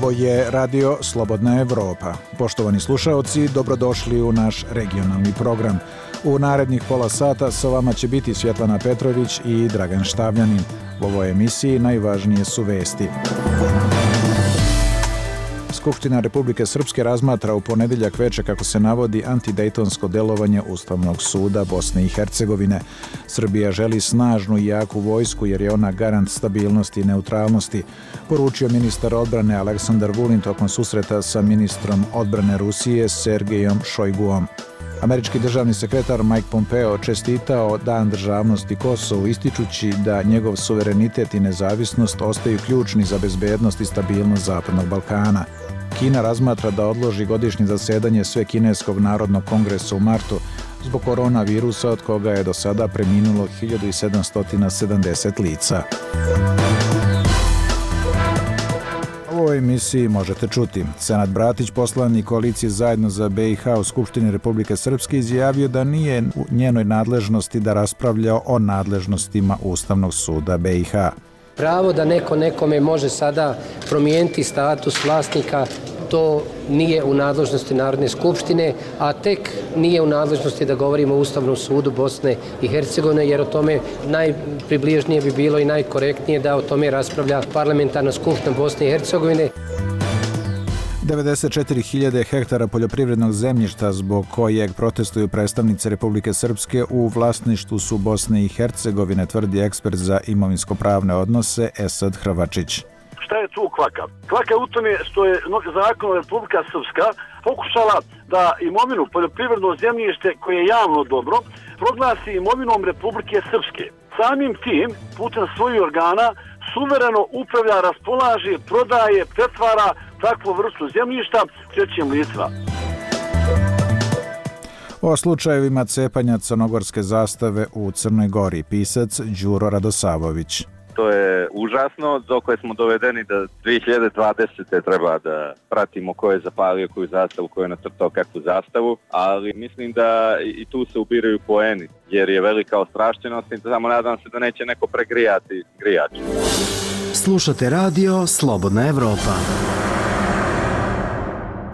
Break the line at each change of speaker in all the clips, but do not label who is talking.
Ovo je Radio Slobodna Evropa. Poštovani slušaoci, dobrodošli u naš regionalni program. U narednih pola sata sa vama će biti Svjetlana Petrović i Dragan Štavljanin. U ovoj emisiji najvažnije su vesti. Skupština Republike Srpske razmatra u ponedjeljak veče, kako se navodi, antidejtonsko delovanje Ustavnog suda Bosne i Hercegovine. Srbija želi snažnu i jaku vojsku jer je ona garant stabilnosti i neutralnosti, poručio ministar odbrane Aleksandar Vulin tokom susreta sa ministrom odbrane Rusije Sergejom Šojguom. Američki državni sekretar Mike Pompeo čestitao Dan državnosti Kosovu, ističući da njegov suverenitet i nezavisnost ostaju ključni za bezbednost i stabilnost Zapadnog Balkana. Kina razmatra da odloži godišnje zasedanje Svekineskog narodnog kongresa u martu zbog koronavirusa, od koga je do sada preminulo 1770 lica. U ovoj emisiji možete čuti. Senad Bratić, poslanik koalicije Zajedno za BiH u Skupštini Republike Srpske, izjavio da nije u njenoj nadležnosti da raspravlja o nadležnostima Ustavnog suda BiH.
Pravo da neko nekome može sada promijeniti status vlasnika, to nije u nadležnosti Narodne skupštine, a tek nije u nadležnosti da govorimo o Ustavnom sudu Bosne i Hercegovine, jer o tome najpribližnije bi bilo i najkorektnije da o tome raspravlja Parlamentarna skupština Bosne i Hercegovine.
94.000 hektara poljoprivrednog zemljišta zbog kojeg protestuju predstavnici Republike Srpske u vlasništvu su Bosne i Hercegovine, tvrdi ekspert za imovinsko-pravne odnose Esad Hrvačić.
Šta je tu kvaka? Kvaka je u tome što je zakon Republika Srpska pokušala da imovinu poljoprivredno zemljište koje je javno dobro proglasi imovinom Republike Srpske. Samim tim, putem svojih organa, suvereno upravlja, raspolaže, prodaje, pretvara takvu vrstu zemljišta trećim licima.
O slučajevima cepanja crnogorske zastave u Crnoj Gori, pisac Đuro Radosavović.
To je užasno, dokle smo dovedeni da 2020. treba da pratimo ko je zapalio koju zastavu, ko je nacrtao kakvu zastavu, ali mislim da i tu se ubiraju poeni, jer je velika ostrašćenost i samo nadam se da neće neko pregrijati grijač.
Slušate radio Slobodna Evropa.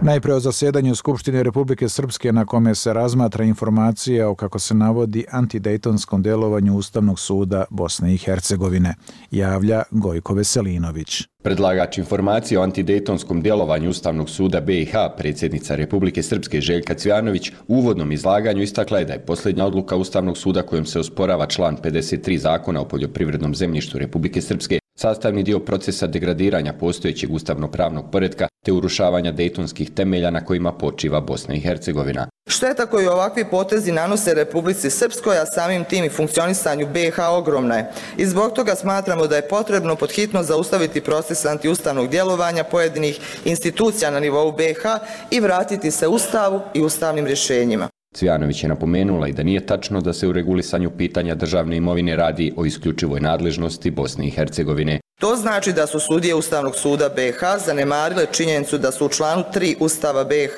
Najpre o zasedanju Skupštine Republike Srpske, na kome se razmatra informacija o, kako se navodi, antidejtonskom delovanju Ustavnog suda Bosne i Hercegovine, javlja Gojko Veselinović.
Predlagač informacije o antidejtonskom djelovanju Ustavnog suda BiH, predsjednica Republike Srpske Željka Cvijanović, u uvodnom izlaganju istakla je da je posljednja odluka Ustavnog suda kojom se osporava član 53 Zakona o poljoprivrednom zemljištu Republike Srpske sastavni dio procesa degradiranja postojećeg ustavno-pravnog poretka te urušavanja dejtonskih temelja na kojima počiva Bosna i Hercegovina.
Šteta koju ovakvi potezi nanose Republici Srpskoj, a samim tim i funkcionisanju BiH, ogromna je. I zbog toga smatramo da je potrebno podhitno zaustaviti proces antiustavnog djelovanja pojedinih institucija na nivou BiH i vratiti se Ustavu i ustavnim rješenjima.
Cvijanović je napomenula i da nije tačno da se u regulisanju pitanja državne imovine radi o isključivoj nadležnosti Bosne i Hercegovine.
To znači da su sudije Ustavnog suda BiH zanemarile činjenicu da su u članu 3 Ustava BiH,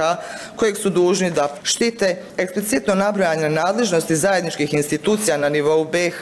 kojeg su dužni da štite, eksplicitno nabrojane nadležnosti zajedničkih institucija na nivou BiH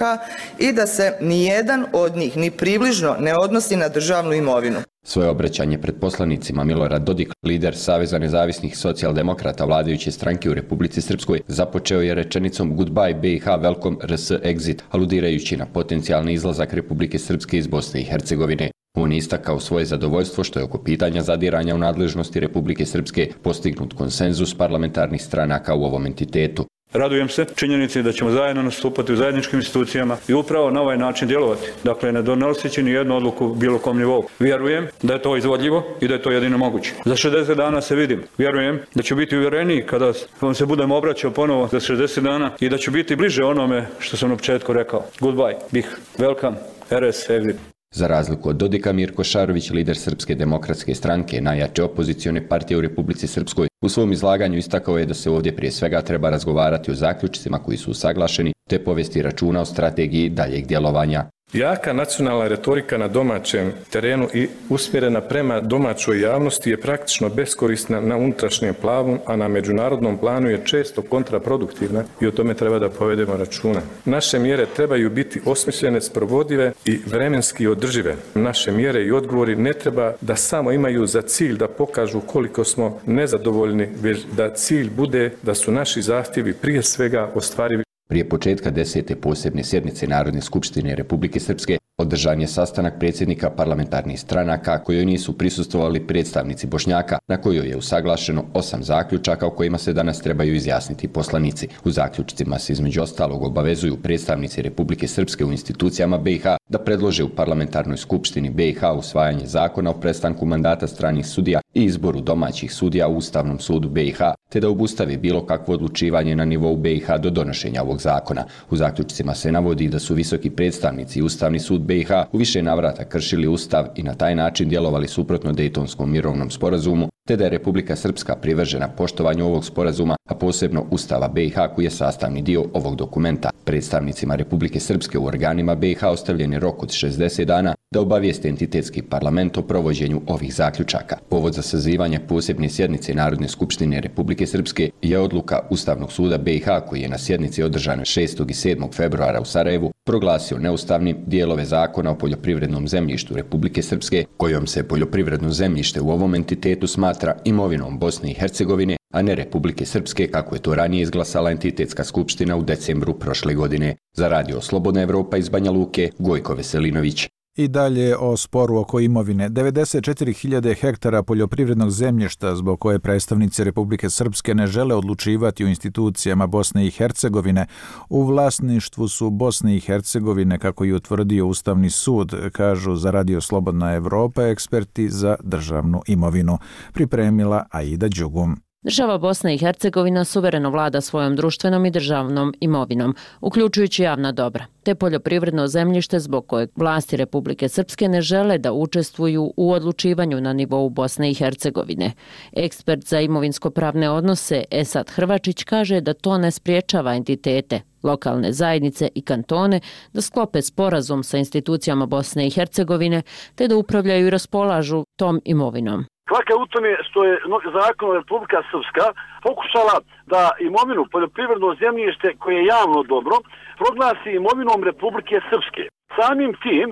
i da se nijedan od njih ni približno ne odnosi na državnu imovinu.
Svoje obraćanje pred poslanicima Milorad Dodik, lider Saveza nezavisnih socijaldemokrata vladajuće stranke u Republici Srpskoj, započeo je rečenicom Goodbye BiH, welcome RS exit, aludirajući na potencijalni izlazak Republike Srpske iz Bosne i Hercegovine. On je istakao svoje zadovoljstvo što je oko pitanja zadiranja u nadležnosti Republike Srpske postignut konsenzus parlamentarnih stranaka u ovom entitetu.
Radujem se činjenici da ćemo zajedno nastupati u zajedničkim institucijama i upravo na ovaj način djelovati. Dakle, ne donoseći ni jednu odluku bilo kom nivou. Vjerujem da je to izvodljivo i da je to jedino moguće. Za 60 dana se vidim. Vjerujem da ću biti uvjereniji kada vam se budem obraćao ponovo za 60 dana i da ću biti bliže onome što sam na početku rekao. Goodbye, BiH, welcome, RS exit.
Za razliku od Dodika, Mirko Šarović, lider Srpske demokratske stranke, najjače opozicione partije u Republici Srpskoj, u svom izlaganju istakao je da se ovdje prije svega treba razgovarati o zaključcima koji su usaglašeni, te povesti računa o strategiji daljeg djelovanja.
Jaka nacionalna retorika na domaćem terenu i usmjerena prema domaćoj javnosti je praktično beskorisna na unutrašnjem planu, a na međunarodnom planu je često kontraproduktivna i o tome treba da povedemo računa. Naše mjere trebaju biti osmišljene, sprovodive i vremenski održive. Naše mjere i odgovori ne treba da samo imaju za cilj da pokažu koliko smo nezadovoljni, već da cilj bude da su naši zahtjevi prije svega ostvarivi.
Prije početka 10. posebne sjednice Narodne skupštine Republike Srpske održan je sastanak predsjednika parlamentarnih stranaka kojoj nisu prisustvovali predstavnici Bošnjaka, na kojoj je usaglašeno 8 zaključaka o kojima se danas trebaju izjasniti poslanici. U zaključcima se između ostalog obavezuju predstavnici Republike Srpske u institucijama BiH da predlože u parlamentarnoj skupštini BiH usvajanje zakona o prestanku mandata stranih sudija i izboru domaćih sudija u Ustavnom sudu BiH, te da obustavi bilo kakvo odlučivanje na nivou BiH do donošenja ovog zakona. U zaključcima se navodi da su visoki predstavnici i Ustavni sud BiH u više navrata kršili Ustav i na taj način djelovali suprotno Dejtonskom mirovnom sporazumu, te da je Republika Srpska privržena poštovanju ovog sporazuma, a posebno Ustava BiH koji je sastavni dio ovog dokumenta. Predstavnicima Republike Srpske u organima BiH ostavljen je rok od 60 dana da obavijeste entitetski parlament o provođenju ovih zaključaka. Povod za sazivanje posebne sjednice Narodne skupštine Republike Srpske je odluka Ustavnog suda BiH koji je na sjednici održane 6. i 7. februara u Sarajevu proglasio neustavnim dijelove zakona o poljoprivrednom zemljištu Republike Srpske, kojom se poljoprivredno zemljište u ovom entitetu smatra imovinom Bosne i Hercegovine, a ne Republike Srpske kako je to ranije izglasala entitetska skupština u decembru prošle godine. Za Radio Slobodna Evropa iz Banja Luke, Gojko Veselinović.
I dalje o sporu oko imovine. 94.000 hektara poljoprivrednog zemljišta zbog koje predstavnici Republike Srpske ne žele odlučivati u institucijama Bosne i Hercegovine u vlasništvu su Bosne i Hercegovine, kako je utvrdio Ustavni sud, kažu za Radio Slobodna Evropa eksperti za državnu imovinu. Pripremila Aida Đugum.
Država Bosna i Hercegovina suvereno vlada svojom društvenom i državnom imovinom, uključujući javna dobra, te poljoprivredno zemljište zbog kojeg vlasti Republike Srpske ne žele da učestvuju u odlučivanju na nivou Bosne i Hercegovine. Ekspert za imovinsko-pravne odnose Esad Hrvačić kaže da to ne spriječava entitete, lokalne zajednice i kantone da sklope sporazum sa institucijama Bosne i Hercegovine te da upravljaju i raspolažu tom imovinom.
Kvaka u tome što je zakon Republika Srpska pokušala da imovinu poljoprivredno zemljište koje je javno dobro proglasi imovinom Republike Srpske. Samim tim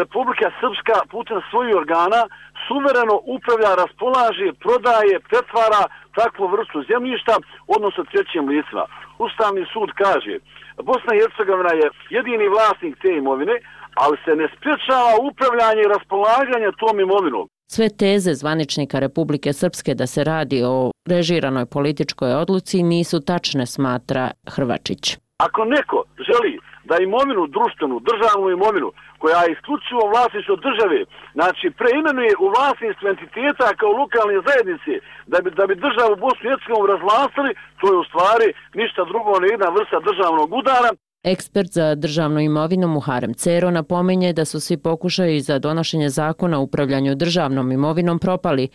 Republika Srpska putem svojih organa suvereno upravlja, raspolaže, prodaje, pretvara takvu vrstu zemljišta, odnosno trećim licima. Ustavni sud kaže Bosna i Hercegovina je jedini vlasnik te imovine, ali se ne sprječava upravljanje i raspolaganje tom imovinom.
Sve teze zvaničnika Republike Srpske da se radi o režiranoj političkoj odluci nisu tačne, smatra Hrvačić.
Ako neko želi da imovinu, društvenu, državnu imovinu, koja je isključivo vlasništvo države, znači preimenuje u vlasništvo entiteta kao lokalne zajednice, da bi državu Bosnu i Hercegovinu razvlastili, to je u stvari ništa drugo ne jedna vrsta državnog udara.
Ekspert za državnu imovinu Muharem Cero napominje da su svi pokušaji za donošenje zakona o upravljanju državnom imovinom propali,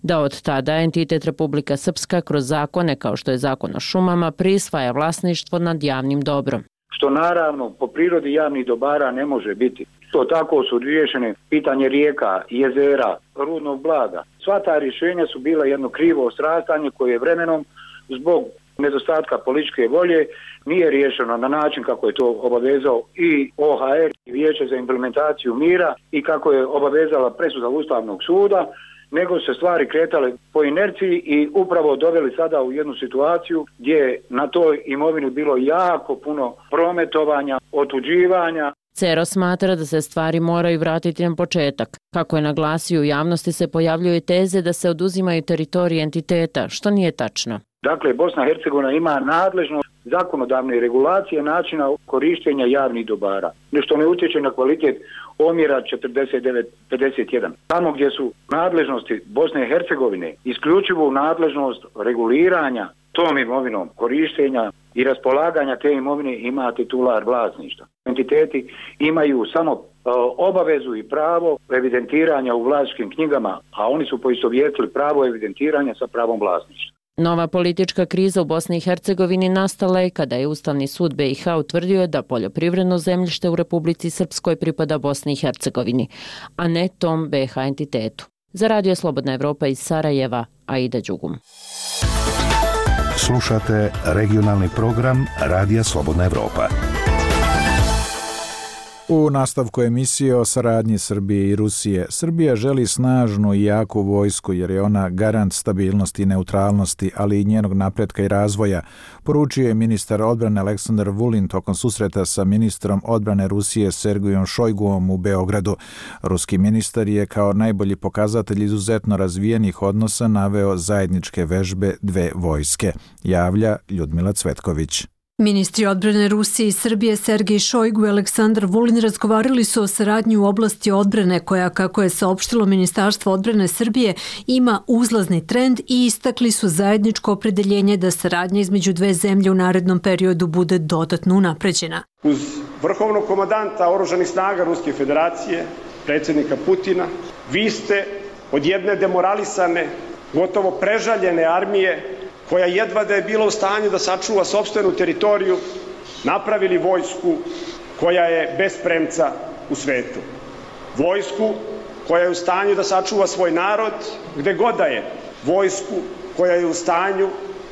da od tada entitet Republika Srpska kroz zakone kao što je zakon o šumama prisvaja vlasništvo nad javnim dobrom.
Što naravno po prirodi javnih dobara ne može biti. To tako su riješene pitanje rijeka, jezera, rudnog blaga. Sva ta rješenja su bila jedno krivo ostrastanje koje je vremenom zbog nedostatka političke volje nije riješeno na način kako je to obavezao i OHR i Vijeće za implementaciju mira i kako je obavezala presuda Ustavnog suda, nego se stvari kretale po inerciji i upravo doveli sada u jednu situaciju gdje je na toj imovini bilo jako puno prometovanja, otuđivanja.
Cero smatra da se stvari moraju vratiti na početak. Kako je naglasio, u javnosti se pojavljuju teze da se oduzimaju teritorije entiteta, što nije tačno.
Dakle, Bosna i Hercegovina ima nadležnost zakonodavne regulacije načina korištenja javnih dobara, što ne utječe na kvalitet omjera 49-51. Tamo gdje su nadležnosti Bosne i Hercegovine isključivo nadležnost reguliranja tom imovinom, korištenja i raspolaganja te imovine ima titular vlasništva. Entiteti imaju samo obavezu i pravo evidentiranja u vlasničkim knjigama, a oni su poistovjetili pravo evidentiranja sa pravom vlasništva.
Nova politička kriza u Bosni i Hercegovini nastala je kada je Ustavni sud BiH utvrdio da poljoprivredno zemljište u Republici Srpskoj pripada Bosni i Hercegovini, a ne tom BiH entitetu. Za Radio Slobodna Evropa iz Sarajeva, Aida Đugum.
Slušate regionalni program Radija Slobodna Evropa.
U nastavku emisije o saradnji Srbije i Rusije, Srbija želi snažnu i jaku vojsku jer je ona garant stabilnosti i neutralnosti, ali i njenog napretka i razvoja, poručio je ministar odbrane Aleksandar Vulin tokom susreta sa ministrom odbrane Rusije Sergejom Šojguom u Beogradu. Ruski ministar je kao najbolji pokazatelj izuzetno razvijenih odnosa naveo zajedničke vežbe dve vojske, javlja Ljudmila Cvetković.
Ministri odbrane Rusije i Srbije Sergej Šojgu i Aleksandar Vulin razgovarali su o saradnji u oblasti odbrane koja, kako je saopštilo Ministarstvo odbrane Srbije, ima uzlazni trend i istakli su zajedničko opredeljenje da saradnja između dve zemlje u narednom periodu bude dodatno unapređena.
Uz vrhovnog komandanta oružanih snaga Ruske federacije, predsjednika Putina, vi ste od jedne demoralisane, gotovo prežaljene armije koja jedva da je bila u stanju da sačuva sopstvenu teritoriju, napravili vojsku koja je bez premca u svetu. Vojsku koja je u stanju da sačuva svoj narod gde god da je. Vojsku koja je u stanju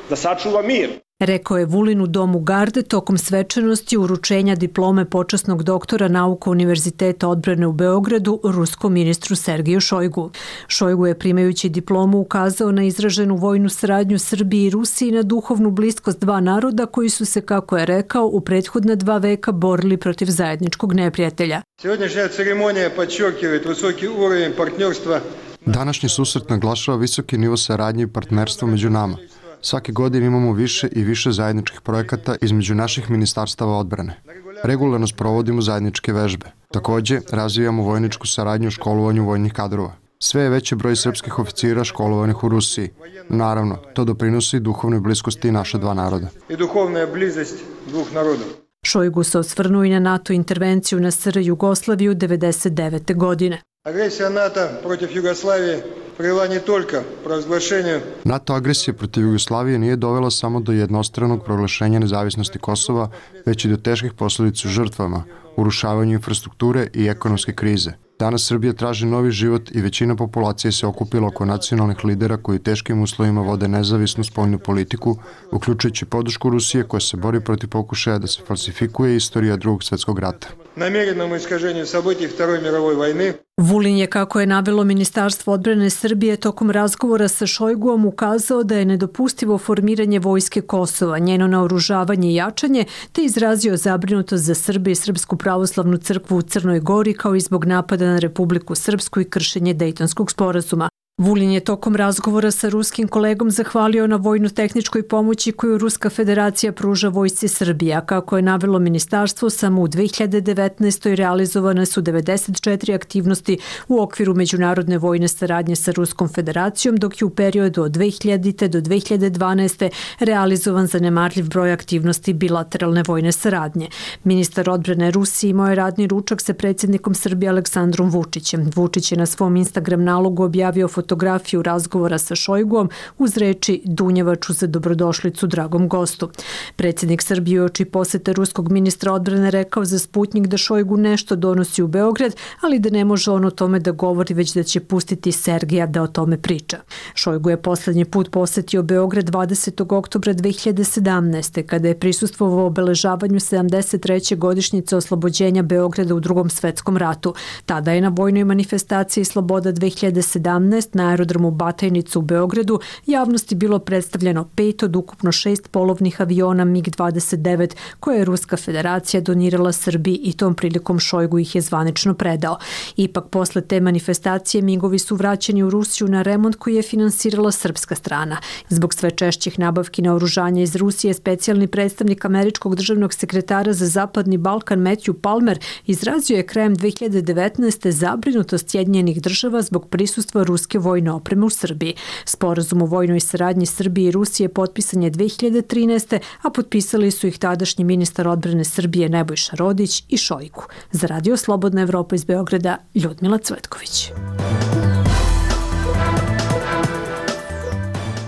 da sačuva mir.
Rekao je Vulin u Domu Garde tokom svečanosti uručenja diplome počasnog doktora nauka Univerziteta odbrane u Beogradu ruskom ministru Sergeju Šojgu. Šojgu je primajući diplomu ukazao na izraženu vojnu saradnju Srbije i Rusije i na duhovnu bliskost dva naroda koji su se, kako je rekao, u prethodna 2 veka borili protiv zajedničkog neprijatelja.
Сегодняшняя церемония подчеркивает высокий уровень партнерства.
Današnji susret naglašava visoki nivo saradnje i partnerstva među nama. Svake godine imamo više i više zajedničkih projekata između naših ministarstava odbrane. Regularno sprovodimo zajedničke vežbe. Također, razvijamo vojničku saradnju u školovanju vojnih kadrova. Sve je veći broj srpskih oficira školovanih u Rusiji. Naravno, to doprinosi duhovnoj bliskosti naša dva naroda.
I duhovna bliskost dvох narodov.
Šojgu se osvrnuo i na NATO intervenciju na SR Jugoslaviju 1999. godine.
Agresija NATO protiv Jugoslavije привела не только провозглашению.
NATO agresija protiv Jugoslavije nije dovela samo do jednostranog proglašenja nezavisnosti Kosova, već i do teških posljedica žrtvama, urušavanju infrastrukture i ekonomske krize. Danas Srbija traži novi život i većina populacije se okupila oko nacionalnih lidera koji u teškim uslovima vode nezavisnu spoljnu politiku, uključujući podršku Rusije koja se bori protiv pokušaja da se falsifikuje istorija Drugog svjetskog rata.
Namjerenom iskaženju событий Второй мировой войны.
Vulin je, kako je navelo Ministarstvo odbrane Srbije tokom razgovora sa Šojguom, ukazao da je nedopustivo formiranje vojske Kosova, njeno naoružavanje i jačanje, te izrazio zabrinutost za Srbe i Srpsku pravoslavnu crkvu u Crnoj Gori kao i zbog napada na Republiku Srpsku i kršenje Dejtonskog sporazuma. Vulin je tokom razgovora sa ruskim kolegom zahvalio na vojno-tehničkoj pomoći koju Ruska federacija pruža vojsci Srbije, a kako je navelo ministarstvo, samo u 2019. realizovane su 94 aktivnosti u okviru međunarodne vojne saradnje sa Ruskom federacijom, dok je u periodu od 2000. do 2012. realizovan zanemarljiv broj aktivnosti bilateralne vojne saradnje. Ministar odbrane Rusije imao je radni ručak sa predsjednikom Srbije Aleksandrom Vučićem. Vučić je na svom Instagram nalogu objavio fotografiju razgovora sa Šojguom uz reči Dunjevaču za dobrodošlicu dragom gostu. Predsjednik Srbije uoči posete ruskog ministra odbrane rekao za Sputnjik da Šojgu nešto donosi u Beograd, ali da ne može on o tome da govori, već da će pustiti Sergeja da o tome priča. Šojgu je posljednji put posetio Beograd 20. oktobra 2017. kada je prisustvovao obeležavanju 73. godišnjice oslobođenja Beograda u Drugom svetskom ratu. Tada je na vojnoj manifestaciji Sloboda 2017 na aerodromu Batajnica u Beogradu javnosti bilo predstavljeno 5 od ukupno 6 polovnih aviona MiG-29 koje je Ruska federacija donirala Srbiji i tom prilikom Šojgu ih je zvanično predao. Ipak posle te manifestacije MiG-ovi su vraćeni u Rusiju na remont koji je finansirala srpska strana. Zbog sve češćih nabavki naoružanja iz Rusije, specijalni predstavnik američkog državnog sekretara za Zapadni Balkan Matthew Palmer izrazio je krajem 2019. zabrinutost Sjedinjenih država zbog prisustva ruske vojne opreme u Srbiji. Sporazum o vojnoj saradnji Srbije i Rusije potpisan je 2013. a potpisali su ih tadašnji ministar odbrane Srbije Nebojša Rodić i Šojgu. Za Radio Slobodna Evropa iz Beograda, Ljudmila Cvetković.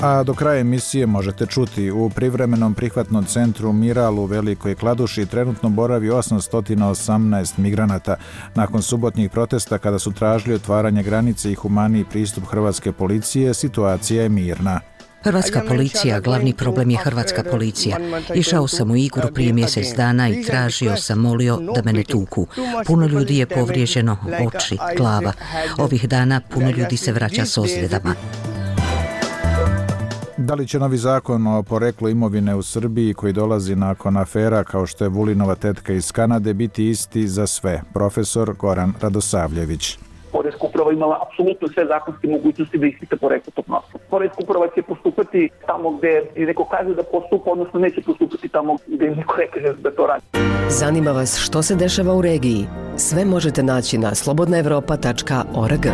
A do kraja emisije možete čuti: u privremenom prihvatnom centru Miral u Velikoj Kladuši trenutno boravi 818 migranata. Nakon subotnjih protesta kada su tražili otvaranje granice i humaniji pristup hrvatske policije, situacija je mirna.
Hrvatska policija, glavni problem je hrvatska policija. Išao sam u Igru prije mjesec dana i tražio sam, molio da me ne tuku. Puno ljudi je povrijeđeno, oči, glava. Ovih dana puno ljudi se vraća s ozljedama.
Da li će novi zakon o poreklu imovine u Srbiji koji dolazi nakon afera kao što je Vulinova tetka iz Kanade biti isti za sve? Profesor Goran Radosavljević.
Poreska uprava imala apsolutno sve zakonske mogućnosti da ispita poreklo tog novca. Poreska uprava će postupati tamo gde neko kaže da postupa, odnosno neće postupati tamo gde neko ne kaže da to radi.
Zanima vas što se dešava u regiji? Sve možete naći na slobodnaevropa.org.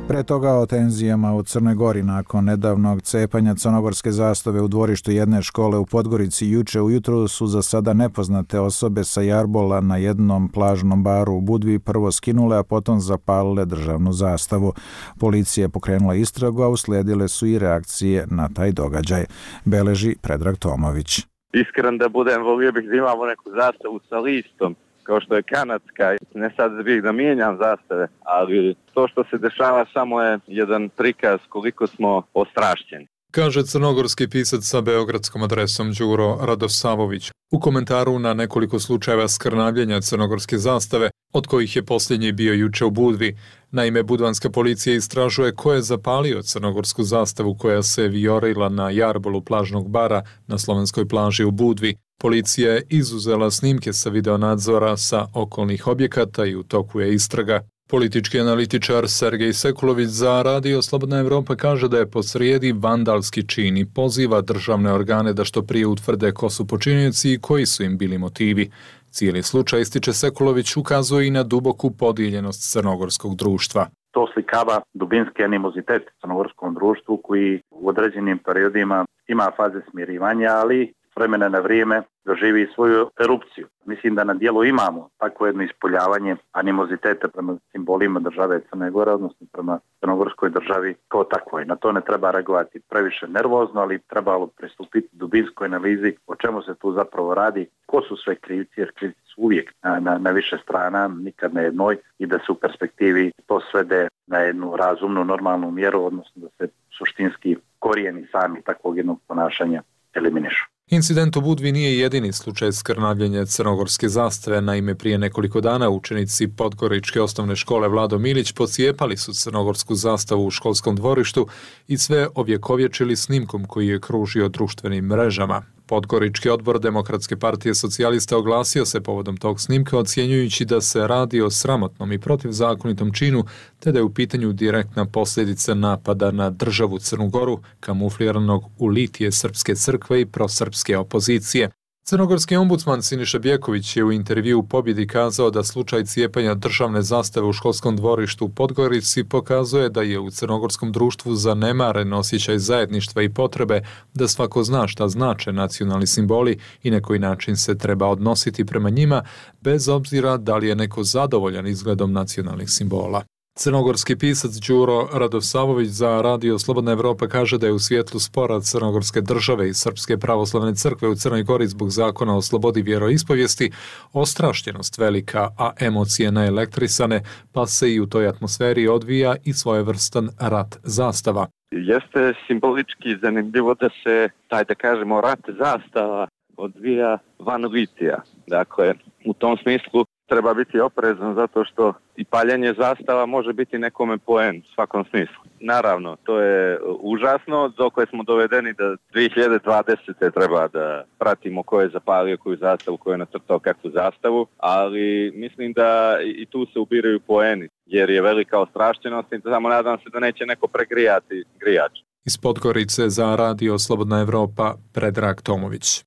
Pre toga o tenzijama u Crnoj Gori nakon nedavnog cepanja crnogorske zastave u dvorištu jedne škole u Podgorici juče ujutro su za sada nepoznate osobe sa jarbola na jednom plažnom baru u Budvi prvo skinule, a potom zapalile državnu zastavu. Policija je pokrenula istragu, a uslijedile su i reakcije na taj događaj. Beleži Predrag Tomović.
Iskren da budem, volio bih da imamo neku zastavu sa listom, kao što je kanadska, ne sad bih da mijenjam zastave, ali to što se dešava samo je jedan prikaz koliko smo ostrašćeni.
Kaže crnogorski pisac sa beogradskom adresom Đuro Radosavović u komentaru na nekoliko slučajeva skrnavljenja crnogorske zastave, od kojih je posljednji bio juče u Budvi. Naime, budvanska policija istražuje ko je zapalio crnogorsku zastavu koja se vijorila na jarbolu plažnog bara na slovenskoj plaži u Budvi. Policija je izuzela snimke sa videonadzora sa okolnih objekata i u toku je istraga. Politički analitičar Sergej Sekulović za Radio Slobodna Evropa kaže da je posrijedi vandalski čin i poziva državne organe da što prije utvrde ko su počinioci i koji su im bili motivi. Cijeli slučaj, ističe Sekulović, ukazuje i na duboku podijeljenost crnogorskog društva.
To slikava dubinski animozitet u crnogorskom društvu koji u određenim periodima ima faze smirivanja, ali s vremena na vrijeme doživi svoju erupciju. Mislim da na dijelu imamo takvo jedno ispoljavanje animoziteta prema simbolima države Crne Gore, odnosno prema crnogorskoj državi kao takvoj. Na to ne treba reagovati previše nervozno, ali trebalo pristupiti dubinskoj analizi o čemu se tu zapravo radi, ko su sve krivci, jer krivci su uvijek na više strana, nikad na jednoj, i da se u perspektivi to svede na jednu razumnu, normalnu mjeru, odnosno da se suštinski korijeni sami takvog jednog ponašanja eliminišu.
Incident u Budvi nije jedini slučaj skrnavljenja crnogorske zastave. Naime, prije nekoliko dana učenici Podgoričke osnovne škole Vlado Milić pocijepali su crnogorsku zastavu u školskom dvorištu i sve ovjekovječili snimkom koji je kružio društvenim mrežama. Podgorički odbor Demokratske partije socijalista oglasio se povodom tog snimka, ocjenjujući da se radi o sramotnom i protivzakonitom činu, te da je u pitanju direktna posljedica napada na državu Crnu Goru, kamufliranog u litije Srpske crkve i prosrpske opozicije. Crnogorski ombudsman Siniša Bjeković je u intervju u Pobjedi kazao da slučaj cijepanja državne zastave u školskom dvorištu u Podgorici pokazuje da je u crnogorskom društvu zanemaren osjećaj zajedništva i potrebe da svako zna šta znače nacionalni simboli i na koji način se treba odnositi prema njima, bez obzira da li je neko zadovoljan izgledom nacionalnih simbola. Crnogorski pisac Đuro Radosavović za Radio Slobodna Evropa kaže da je u svjetlu spora Crnogorske države i Srpske pravoslavne crkve u Crnoj Gori zbog zakona o slobodi vjeroispovijesti ostrašćenost velika, a emocije naelektrisane, pa se i u toj atmosferi odvija i svojevrstan rat zastava.
Jeste simbolički zanimljivo da se taj, da kažemo, rat zastava odvija van litija. Dakle, u tom smislu treba biti oprezan zato što i paljenje zastava može biti nekome poen u svakom smislu. Naravno, to je užasno, do koje smo dovedeni da 2020. treba da pratimo ko je zapalio koju zastavu, ko je nacrtao kakvu zastavu, ali mislim da i tu se ubiraju poeni, jer je velika ostrašćenost i samo nadam se da neće neko pregrijati grijač.
Iz Podgorice za Radio Slobodna Evropa, Predrag Tomović.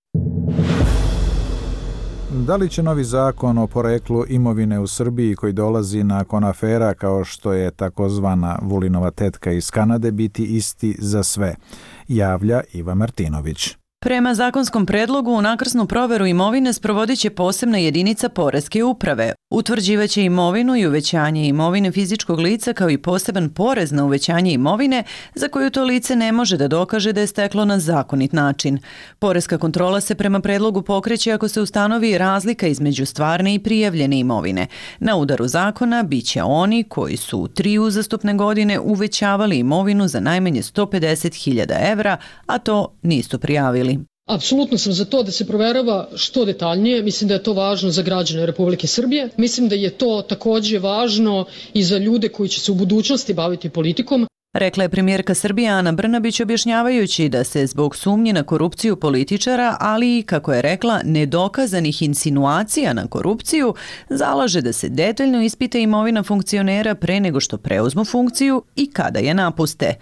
Da li će novi zakon o poreklu imovine u Srbiji koji dolazi nakon afera kao što je takozvana Vulinova tetka iz Kanade biti isti za sve? Javlja Iva Martinović.
Prema zakonskom predlogu, unakrsnu proveru imovine sprovodit će posebna jedinica Poreske uprave. Utvrđivaće imovinu i uvećanje imovine fizičkog lica kao i poseban porez na uvećanje imovine za koju to lice ne može da dokaže da je steklo na zakonit način. Poreska kontrola se prema predlogu pokreće ako se ustanovi razlika između stvarne i prijavljene imovine. Na udaru zakona biće oni koji su u 3 uzastopne godine uvećavali imovinu za najmanje 150.000 evra, a to nisu prijavili.
Apsolutno sam za to da se proverava što detaljnije. Mislim da je to važno za građane Republike Srbije. Mislim da je to takođe važno i za ljude koji će se u budućnosti baviti politikom.
Rekla je premijerka Srbije Ana Brnabić objašnjavajući da se zbog sumnje na korupciju političara, ali i, kako je rekla, nedokazanih insinuacija na korupciju, zalaže da se detaljno ispita imovina funkcionera pre nego što preuzmu funkciju i kada je napuste.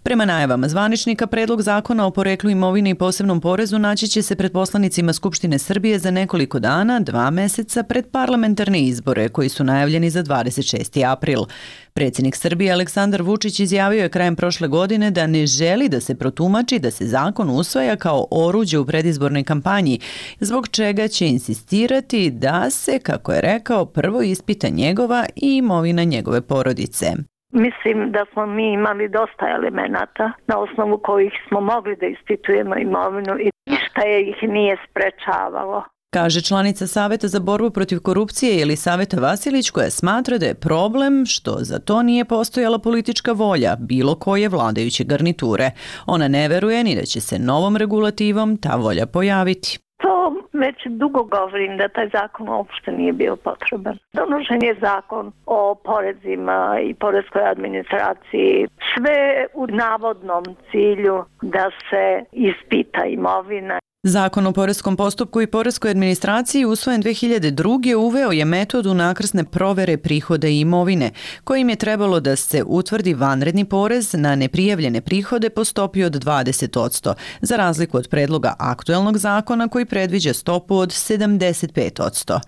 Prema najavama zvaničnika, predlog zakona o poreklu imovine i posebnom porezu naći će se pred poslanicima Skupštine Srbije za nekoliko dana, 2 meseca pred parlamentarne izbore koji su najavljeni za 26. april. Predsjednik Srbije Aleksandar Vučić izjavio je krajem prošle godine da ne želi da se protumači da se zakon usvaja kao oruđe u predizbornoj kampanji, zbog čega će insistirati da se, kako je rekao, prvo ispita njegova i imovina njegove porodice.
Mislim da smo mi imali dosta elemenata na osnovu kojih smo mogli da ispitujemo imovinu i ništa ih nije sprečavalo.
Kaže članica Saveta za borbu protiv korupcije Jelisaveta Vasilić, koja smatra da je problem što za to nije postojala politička volja bilo koje vladajuće garniture. Ona ne veruje ni da će se novom regulativom ta volja pojaviti.
To već dugo govorim da taj zakon uopšte nije bio potreban. Donošen je zakon o porezima i poreskoj administraciji, sve u navodnom cilju da se ispita imovina.
Zakon o poreskom postupku i poreskoj administraciji usvojen 2002. uveo je metodu unakrsne provere prihoda i imovine, kojim je trebalo da se utvrdi vanredni porez na neprijavljene prihode po stopi od 20%, za razliku od predloga aktuelnog zakona koji predviđa stopu od 75%.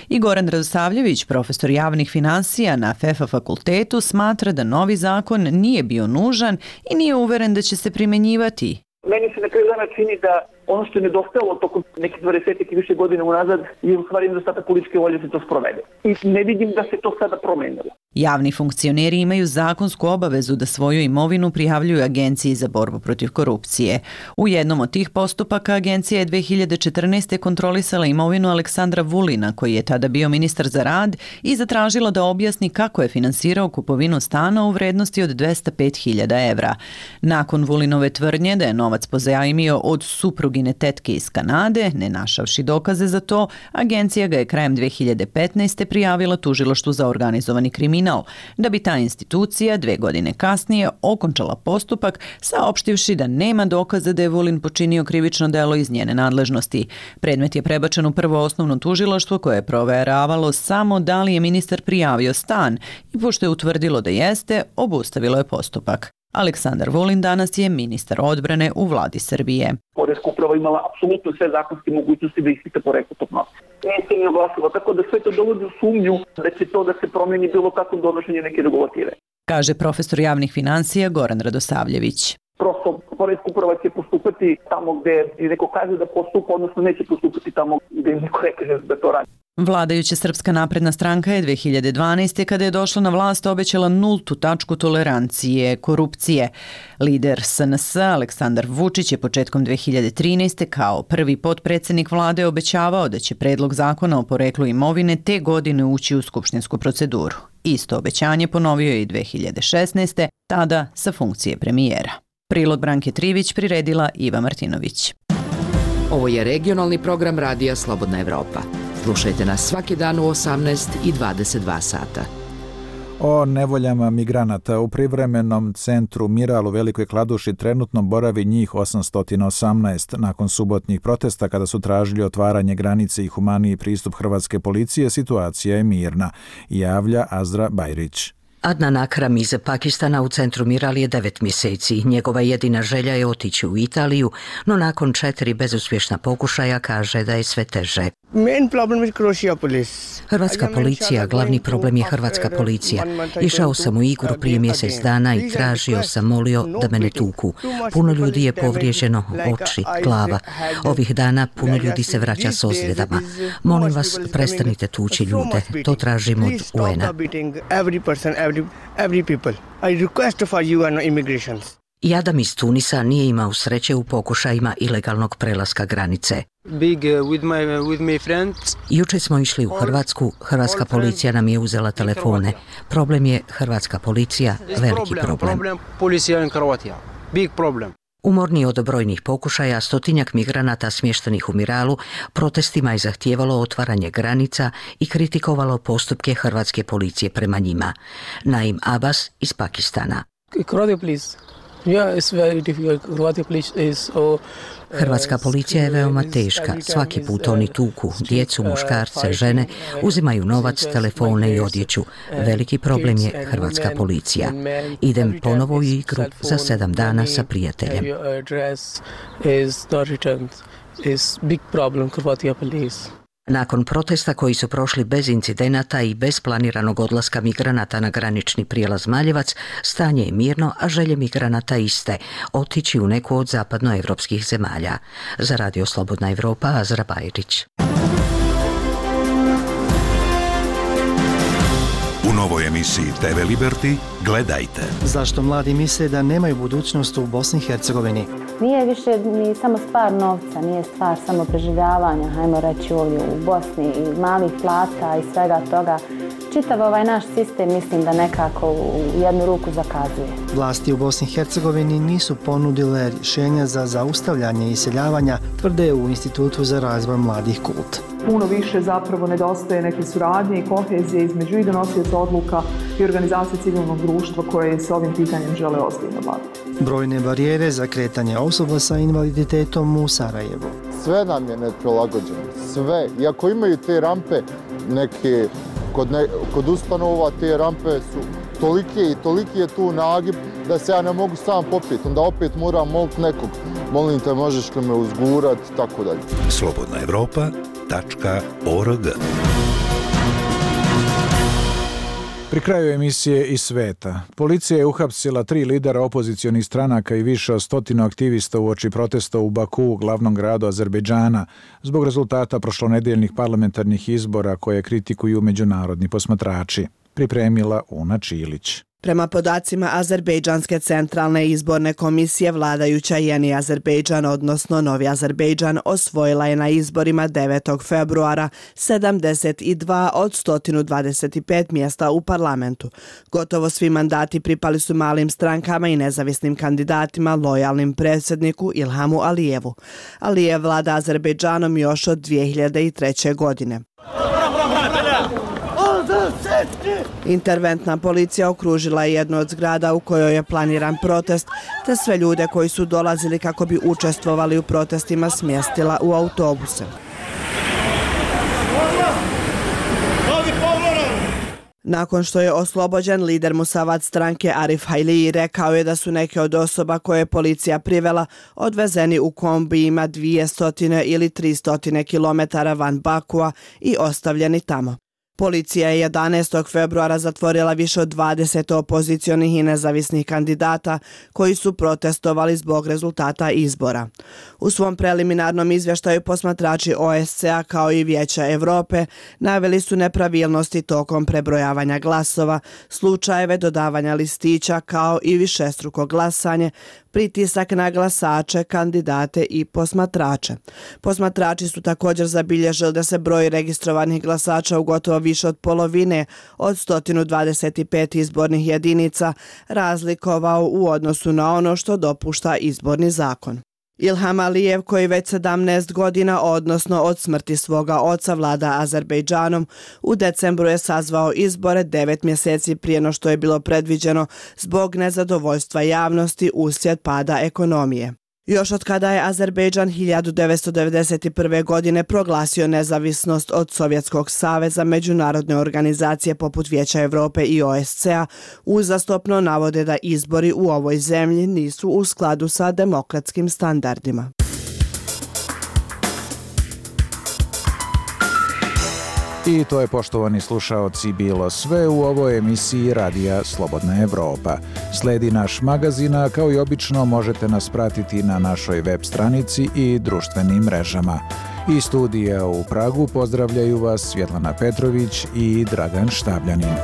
I Goran Radosavljević, profesor javnih finansija na FEFA fakultetu, smatra da novi zakon nije bio nužan i nije uveren da će se primenjivati.
Meni se na kraju dana čini da ono što je nedostajalo tokom nekih 20 i više godina unazad je u stvari nedostatak političke volje da se to sprovede. I ne vidim da se to sada promenilo.
Javni funkcioneri imaju zakonsku obavezu da svoju imovinu prijavljuju Agenciji za borbu protiv korupcije. U jednom od tih postupaka agencija je 2014. kontrolisala imovinu Aleksandra Vulina, koji je tada bio ministar za rad, i zatražila da objasni kako je finansirao kupovinu stana u vrednosti od 205.000 evra. Nakon Vulinove tvrdnje da je novac pozajmio od suprugine tetke iz Kanade, ne našavši dokaze za to, agencija ga je krajem 2015. prijavila tužilaštvu za organizovani kriminal, da bi ta institucija 2 godine kasnije okončala postupak, saopštivši da nema dokaza da je Vulin počinio krivično delo iz njene nadležnosti. Predmet je prebačen u prvo osnovno tužilaštvo koje je proveravalo samo da li je ministar prijavio stan i pošto je utvrdilo da jeste, obustavilo je postupak. Aleksandar Vulin danas je ministar odbrane u vladi Srbije.
Poreska uprava imala apsolutno sve zakonske mogućnosti da ispita poreklo tog novca. Nije se ni oglasilo, tako da sve to dovodi u sumnju da će to da se promeni bilo kako donošenje neke regulative.
Kaže profesor javnih finansija Goran Radosavljević.
Prosto poreska uprava će postupati tamo gde neko kaže da postupa, odnosno neće postupati tamo gde neko ne kaže da to radi.
Vladajuća Srpska napredna stranka je 2012. kada je došla na vlast obećala nultu tačku tolerancije korupcije. Lider SNS Aleksandar Vučić je početkom 2013. kao prvi potpredsjednik vlade obećavao da će predlog zakona o poreklu imovine te godine ući u skupštinsku proceduru. Isto obećanje ponovio je i 2016. tada sa funkcije premijera. Prilog Branke Trivić priredila Iva Martinović.
Ovo je regionalni program Radija Slobodna Evropa. Slušajte nas svaki dan u 18 i 22 sata.
O nevoljama migranata u privremenom centru Miral u Velikoj Kladuši trenutno boravi njih 818. Nakon subotnjih protesta kada su tražili otvaranje granice i humaniji pristup hrvatske policije, situacija je mirna, javlja Azra Bajrić.
Adnan Akram iz Pakistana u centru Miral je 9 mjeseci. Njegova jedina želja je otići u Italiju, no nakon 4 bezuspješna pokušaja kaže da je sve teže. Hrvatska policija, glavni problem je hrvatska policija. Išao sam u Igru prije mjesec dana i tražio sam, molio da me ne tuku. Puno ljudi je povrijeđeno, oči, glava. Ovih dana puno ljudi se vraća s ozljedama. Molim vas, prestanite tući ljude. To tražim od UN-a. Jadam iz Tunisa nije imao sreće u pokušajima ilegalnog prelaska granice. Jučer smo išli u Hrvatsku, hrvatska policija nam je uzela telefone. Problem je hrvatska policija, veliki problem. Umorni od brojnih pokušaja, 100-tinjak migranata smještenih u Miralu protestima je zahtijevalo otvaranje granica i kritikovalo postupke hrvatske policije prema njima. Naim Abbas iz Pakistana. Hrvatska policija je veoma teška. Svaki put oni tuku djecu, muškarce, žene, uzimaju novac, telefone i odjeću. Veliki problem je hrvatska policija. Idem ponovo u Igru za 7 dana sa prijateljem. Nakon protesta koji su prošli bez incidenata i bez planiranog odlaska migranata na granični prijelaz Maljevac, stanje je mirno, a želje migranata iste, otići u neku od zapadnoevropskih zemalja. Za Radio Slobodna Evropa, Azra Bajrić.
U novoj emisiji TV Liberty gledajte.
Zašto mladi misle da nemaju budućnost u Bosni i Hercegovini?
Nije više ni samo stvar novca, nije stvar samo preživljavanja, hajmo reći ovdje u Bosni i malih plata i svega toga. Čitav ovaj naš sistem mislim da nekako u jednu ruku zakazuje.
Vlasti u Bosni i Hercegovini nisu ponudile rješenja za zaustavljanje iseljavanja, tvrde u Institutu za razvoj mladih KULT.
Puno više zapravo nedostaje neke suradnje i kohezije između i donosioca odluka i organizacije civilnog društva koje se ovim pitanjem žele ozbiljno baviti.
Brojne barijere za kretanje osoba sa invaliditetom u Sarajevu.
Sve nam je neprilagođeno, sve. Iako imaju te rampe, neke kod ustanova te rampe su toliki je tu nagib da se ja ne mogu sam popiti. Onda opet moram moliti nekog. Molim te, možeš li me uzgurat, tako dalje.
slobodnaevropa.org.
Pri kraju emisije Iz sveta. Policija je uhapsila 3 lidera opozicionih stranaka i više od 100 aktivista uoči protesta u Baku, glavnom gradu Azerbejdžana, zbog rezultata prošlonedeljnih parlamentarnih izbora koje kritikuju međunarodni posmatrači. Pripremila Una Čilić.
Prema podacima Azerbejdžanske centralne izborne komisije, vladajuća Jeni Azerbejdžan, odnosno Novi Azerbejdžan, osvojila je na izborima 9. februara 72 od 125 mjesta u parlamentu. Gotovo svi mandati pripali su malim strankama i nezavisnim kandidatima lojalnim predsjedniku Ilhamu Alijevu. Alijev vlada Azerbejdžanom još od 2003. godine. Interventna policija okružila je jednu od zgrada u kojoj je planiran protest, te sve ljude koji su dolazili kako bi učestvovali u protestima smjestila u autobuse. Nakon što je oslobođen, lider Musavad stranke Arif Hailiji rekao je da su neke od osoba koje je policija privela odvezeni u kombijima 200 ili 300 km van Bakua i ostavljeni tamo. Policija je 11. februara zatvorila više od 20 opozicionih i nezavisnih kandidata koji su protestovali zbog rezultata izbora. U svom preliminarnom izvještaju posmatrači OSCE-a kao i Vijeća Europe naveli su nepravilnosti tokom prebrojavanja glasova, slučajeve dodavanja listića kao i višestruko glasanje, pritisak na glasače, kandidate i posmatrače. Posmatrači su također zabilježili da se broj registrovanih glasača u gotovo više od polovine od 125 izbornih jedinica razlikovao u odnosu na ono što dopušta izborni zakon. Ilham Alijev, koji već 17 godina, odnosno od smrti svoga oca, vlada Azerbejdžanom, u decembru je sazvao izbore 9 mjeseci prije no što je bilo predviđeno zbog nezadovoljstva javnosti uslijed pada ekonomije. Još od kada je Azerbejdžan 1991. godine proglasio nezavisnost od Sovjetskog saveza, međunarodne organizacije poput Vijeća Europe i OSCE-a uzastopno navode da izbori u ovoj zemlji nisu u skladu sa demokratskim standardima.
I to je, poštovani slušaoci, bilo sve u ovoj emisiji Radija Slobodna Evropa. Sledi naš magazin, a kao i obično možete nas pratiti na našoj web stranici i društvenim mrežama. Iz studija u Pragu pozdravljaju vas Svjetlana Petrović i Dragan Štabljanin.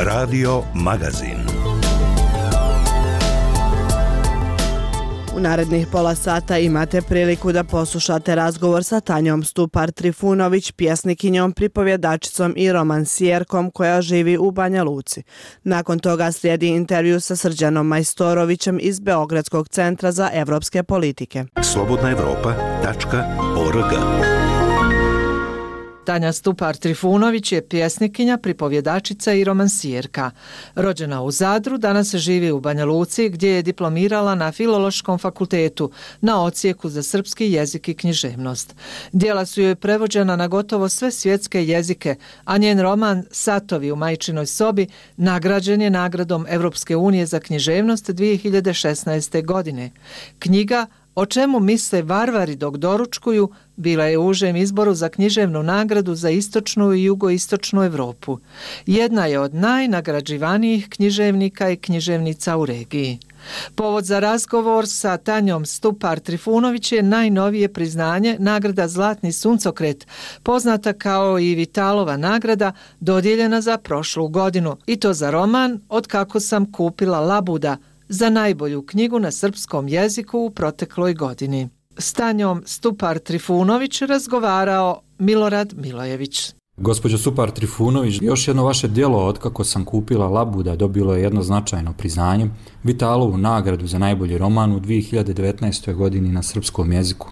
Radio Magazin.
U narednih pola sata imate priliku da poslušate razgovor sa Tanjom Stupar Trifunović, pjesnikinjom, pripovjedačicom i romansijerkom koja živi u Banja Luci. Nakon toga slijedi intervju sa Srđanom Majstorovićem iz Beogradskog centra za evropske politike.
slobodnaevropa.org.
Tanja Stupar Trifunović je pjesnikinja, pripovjedačica i romansijerka. Rođena u Zadru, danas živi u Banja Luci gdje je diplomirala na Filološkom fakultetu na odsjeku za srpski jezik i književnost. Djela su joj prevođena na gotovo sve svjetske jezike, a njen roman Satovi u majčinoj sobi nagrađen je nagradom Evropske unije za književnost 2016. godine. Knjiga O čemu misle varvari dok doručkuju bila je u užem izboru za književnu nagradu za istočnu i jugoistočnu Europu. Jedna je od najnagrađivanijih književnika i književnica u regiji. Povod za razgovor sa Tanjom Stupar Trifunović je najnovije priznanje, nagrada Zlatni suncokret, poznata kao i Vitalova nagrada, dodijeljena za prošlu godinu, i to za roman Od kako sam kupila labuda, za najbolju knjigu na srpskom jeziku u protekloj godini. S Tanjom Stupar Trifunović razgovarao Milorad Milojević.
Gospođo Stupar Trifunović, još jedno vaše djelo Od kako sam kupila labuda dobilo je jedno značajno priznanje, Vitalovu nagradu za najbolji roman u 2019. godini na srpskom jeziku.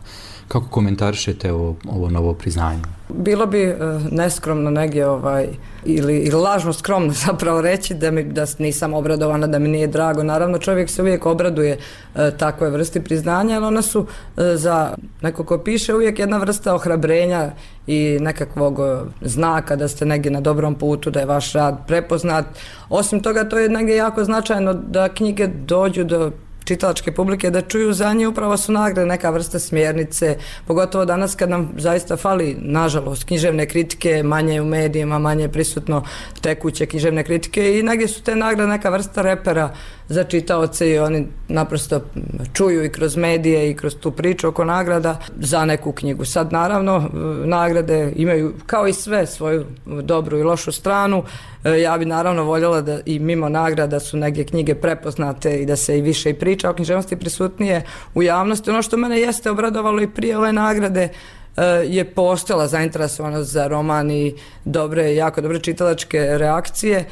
Kako komentarišete ovo novo priznanje?
Bilo bi neskromno negdje ili lažno skromno zapravo reći da nisam obradovana, da mi nije drago. Naravno, čovjek se uvijek obraduje takve vrsti priznanja, ali ona su za neko ko piše uvijek jedna vrsta ohrabrenja i nekakvog znaka da ste negdje na dobrom putu, da je vaš rad prepoznat. Osim toga, to je negdje jako značajno da knjige dođu do čitalačke publike, da čuju za nje, upravo su nagrade neka vrsta smjernice, pogotovo danas kad nam zaista fali, nažalost, književne kritike, manje u medijima, manje prisutno tekuće književne kritike, i negdje su te nagrade neka vrsta repera za čitaoce i oni naprosto čuju i kroz medije i kroz tu priču oko nagrada za neku knjigu. Sad naravno nagrade imaju kao i sve svoju dobru i lošu stranu. Ja bi naravno voljela da i mimo nagrada su neke knjige prepoznate i da se i više i priča o književnosti prisutnije u javnosti. Ono što mene jeste obradovalo i prije ove nagrade je postojala zainteresovanost za roman i jako dobre čitalačke reakcije.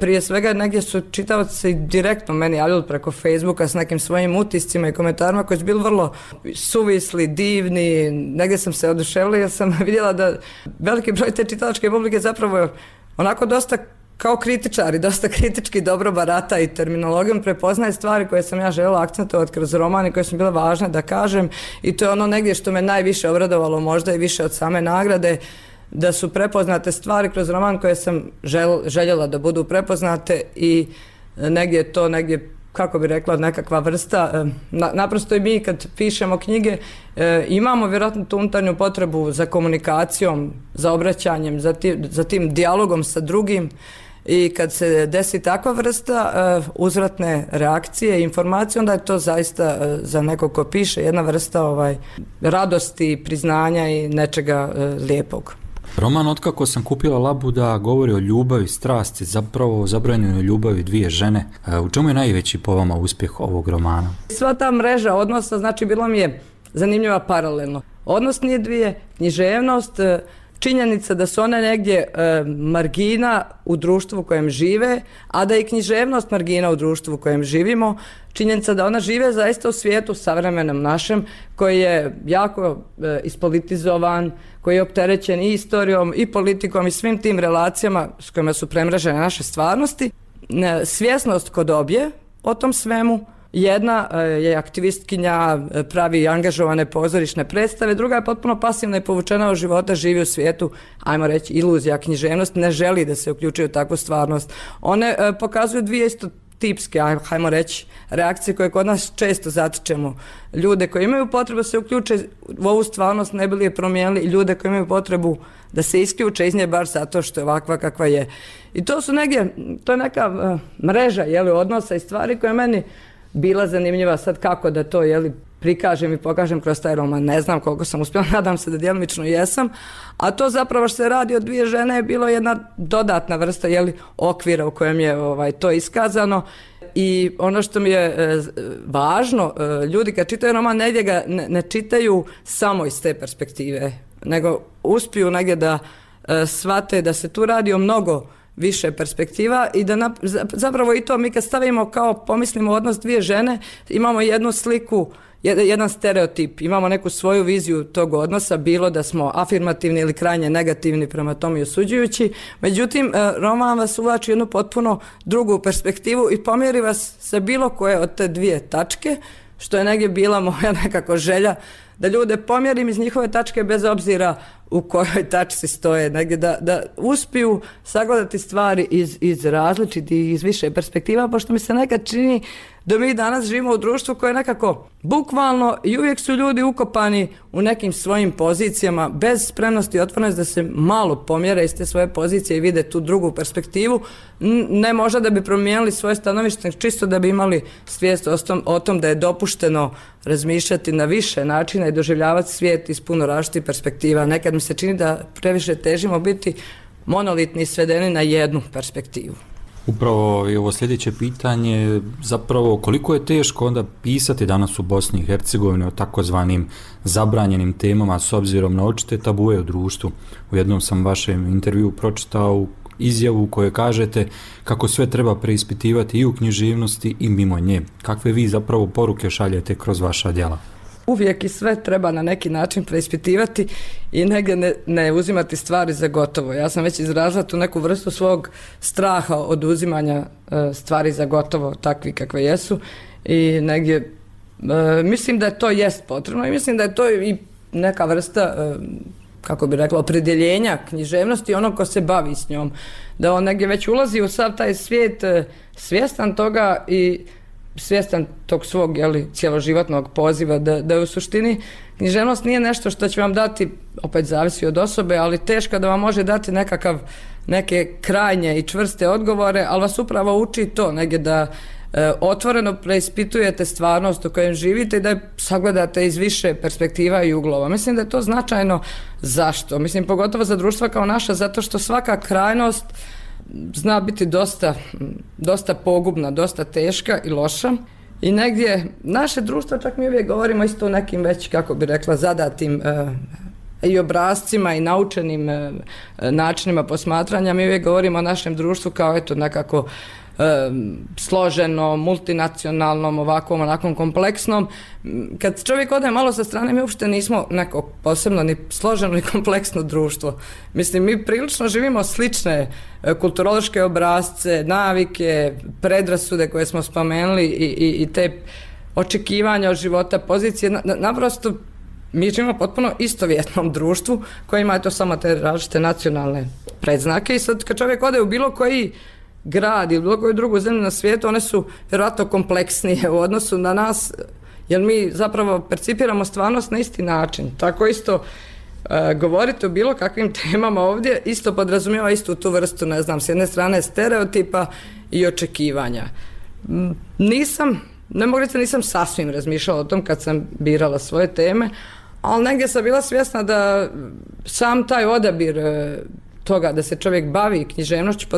Prije svega negdje su čitavci direktno meni javljali preko Facebooka s nekim svojim utiscima i komentarima koji su bili vrlo suvisli, divni. Negdje sam se oduševila jer sam vidjela da veliki broj te čitalačke publike zapravo onako dosta kao kritičari, dosta kritički dobro barata i terminologijom, prepoznaje stvari koje sam ja željela akcentovati kroz roman i koje su bile važne da kažem, i to je ono negdje što me najviše obradovalo, možda i više od same nagrade, da su prepoznate stvari kroz roman koje sam željela da budu prepoznate, i negdje to kako bi rekla, nekakva vrsta, naprosto i mi kad pišemo knjige imamo vjerojatno tu unutarnju potrebu za komunikacijom, za obraćanjem, za tim dijalogom sa drugim, i kad se desi takva vrsta uzvratne reakcije i informacije, onda je to zaista za nekog ko piše jedna vrsta radosti, priznanja i nečega lijepog.
Roman Od kako sam kupila labuda govori o ljubavi, strasti, zapravo zabranjenoj ljubavi dvije žene. U čemu je najveći po vama uspjeh ovog romana?
Sva ta mreža odnosa, znači bilo mi je zanimljiva paralelno. Odnos nije dvije, književnost, činjenica da su one negdje margina u društvu u kojem žive, a da je književnost margina u društvu u kojem živimo, činjenica da ona žive zaista u svijetu savremenom našem, koji je jako ispolitizovan, koji je opterećen i istorijom i politikom i svim tim relacijama s kojima su premrežene naše stvarnosti. Svjesnost kod obje o tom svemu. Jedna je aktivistkinja, pravi angažovane pozorišne predstave, druga je potpuno pasivna i povučena od života, živi u svijetu, ajmo reći, iluzija, književnost, ne želi da se uključuje u takvu stvarnost. One pokazuju dvije isto tipske, ajmo reći, reakcije koje kod nas često zatičemo. Ljude koji imaju potrebu se uključe u ovu stvarnost, ne bi li je promijenili, i ljude koji imaju potrebu da se isključe iz nje baš zato što je ovakva kakva je. I to su negdje, to je neka mreža odnosa i stvari koje meni bila zanimljiva. Sad kako da to prikažem i pokažem kroz taj roman, ne znam koliko sam uspjela, nadam se da djelomično jesam, a to zapravo što se radi o dvije žene je bilo jedna dodatna vrsta okvira u kojem je to iskazano. I ono što mi je važno, ljudi kad čitaju roman negdje ga ne čitaju samo iz te perspektive, nego uspiju negdje da shvate da se tu radi o mnogo više perspektiva i da zapravo i to mi kad stavimo pomislimo odnos dvije žene, imamo jednu sliku, jedan stereotip, imamo neku svoju viziju tog odnosa, bilo da smo afirmativni ili krajnje negativni prema tome i osuđujući. Međutim, roman vas uvlači jednu potpuno drugu perspektivu i pomjeri vas sa bilo koje od te dvije tačke, što je negdje bila moja nekako želja, da ljude pomjerim iz njihove tačke bez obzira u kojoj tačci stoje, negdje da uspiju sagledati stvari iz različitih, iz više perspektiva, pošto mi se nekad čini da mi danas živimo u društvu koje je nekako bukvalno i uvijek su ljudi ukopani u nekim svojim pozicijama bez spremnosti i otvorenosti da se malo pomjere iz te svoje pozicije i vide tu drugu perspektivu, ne možda da bi promijenili svoje stanovište, čisto da bi imali svijest o tom da je dopušteno razmišljati na više načina i doživljavati svijet iz puno različitih perspektiva. Nekad mi se čini da previše težimo biti monolitni i svedeni na jednu perspektivu.
Upravo i ovo sljedeće pitanje, zapravo koliko je teško onda pisati danas u Bosni i Hercegovini o takozvanim zabranjenim temama s obzirom na očite tabue u društvu. U jednom sam vašem intervjuu pročitao izjavu u kojoj kažete kako sve treba preispitivati i u književnosti i mimo nje. Kakve vi zapravo poruke šaljete kroz vaša djela?
Uvijek i sve treba na neki način preispitivati i negdje ne uzimati stvari za gotovo. Ja sam već izrazila tu neku vrstu svog straha od uzimanja stvari za gotovo, takvi kakve jesu, i negdje mislim da to jest potrebno i mislim da je to i neka vrsta, kako bi rekla, opredjeljenja književnosti onog ko se bavi s njom. Da on negdje već ulazi u sav taj svijet svjestan toga i svjestan tog svog cjeloživotnog poziva, da u suštini književnost nije nešto što će vam dati, opet zavisi od osobe, ali teško da vam može dati neke krajnje i čvrste odgovore, ali vas upravo uči to negdje da otvoreno preispitujete stvarnost u kojem živite i da je sagledate iz više perspektiva i uglova. Mislim da je to značajno. Zašto? Mislim, pogotovo za društva kao naša, zato što svaka krajnost zna biti dosta pogubna, dosta teška i loša. I negdje naše društvo, čak mi uvijek govorimo isto o nekim već, kako bi rekla, zadatim i obrascima i naučenim načinima posmatranja. Mi uvijek govorimo o našem društvu kao nekako složeno, multinacionalnom, ovakvom, onakvom kompleksnom. Kad čovjek ode malo sa strane, mi uopšte nismo neko posebno ni složeno ni kompleksno društvo. Mislim, mi prilično živimo slične kulturološke obrasce, navike, predrasude koje smo spomenuli i te očekivanja od života, pozicije. Naprosto mi živimo potpuno istovjetnom društvu koje ima samo te različite nacionalne predznake i sad kad čovjek ode u bilo koji grad ili bilo koju drugu zemlju na svijetu, one su vjerojatno kompleksnije u odnosu na nas, jer mi zapravo percipiramo stvarnost na isti način. Tako isto govoriti o bilo kakvim temama ovdje isto podrazumijeva istu tu vrstu, ne znam, s jedne strane stereotipa i očekivanja. Ne mogu reći da nisam sasvim razmišljala o tom kad sam birala svoje teme, ali negdje sam bila svjesna da sam taj odabir toga da se čovjek bavi književnošću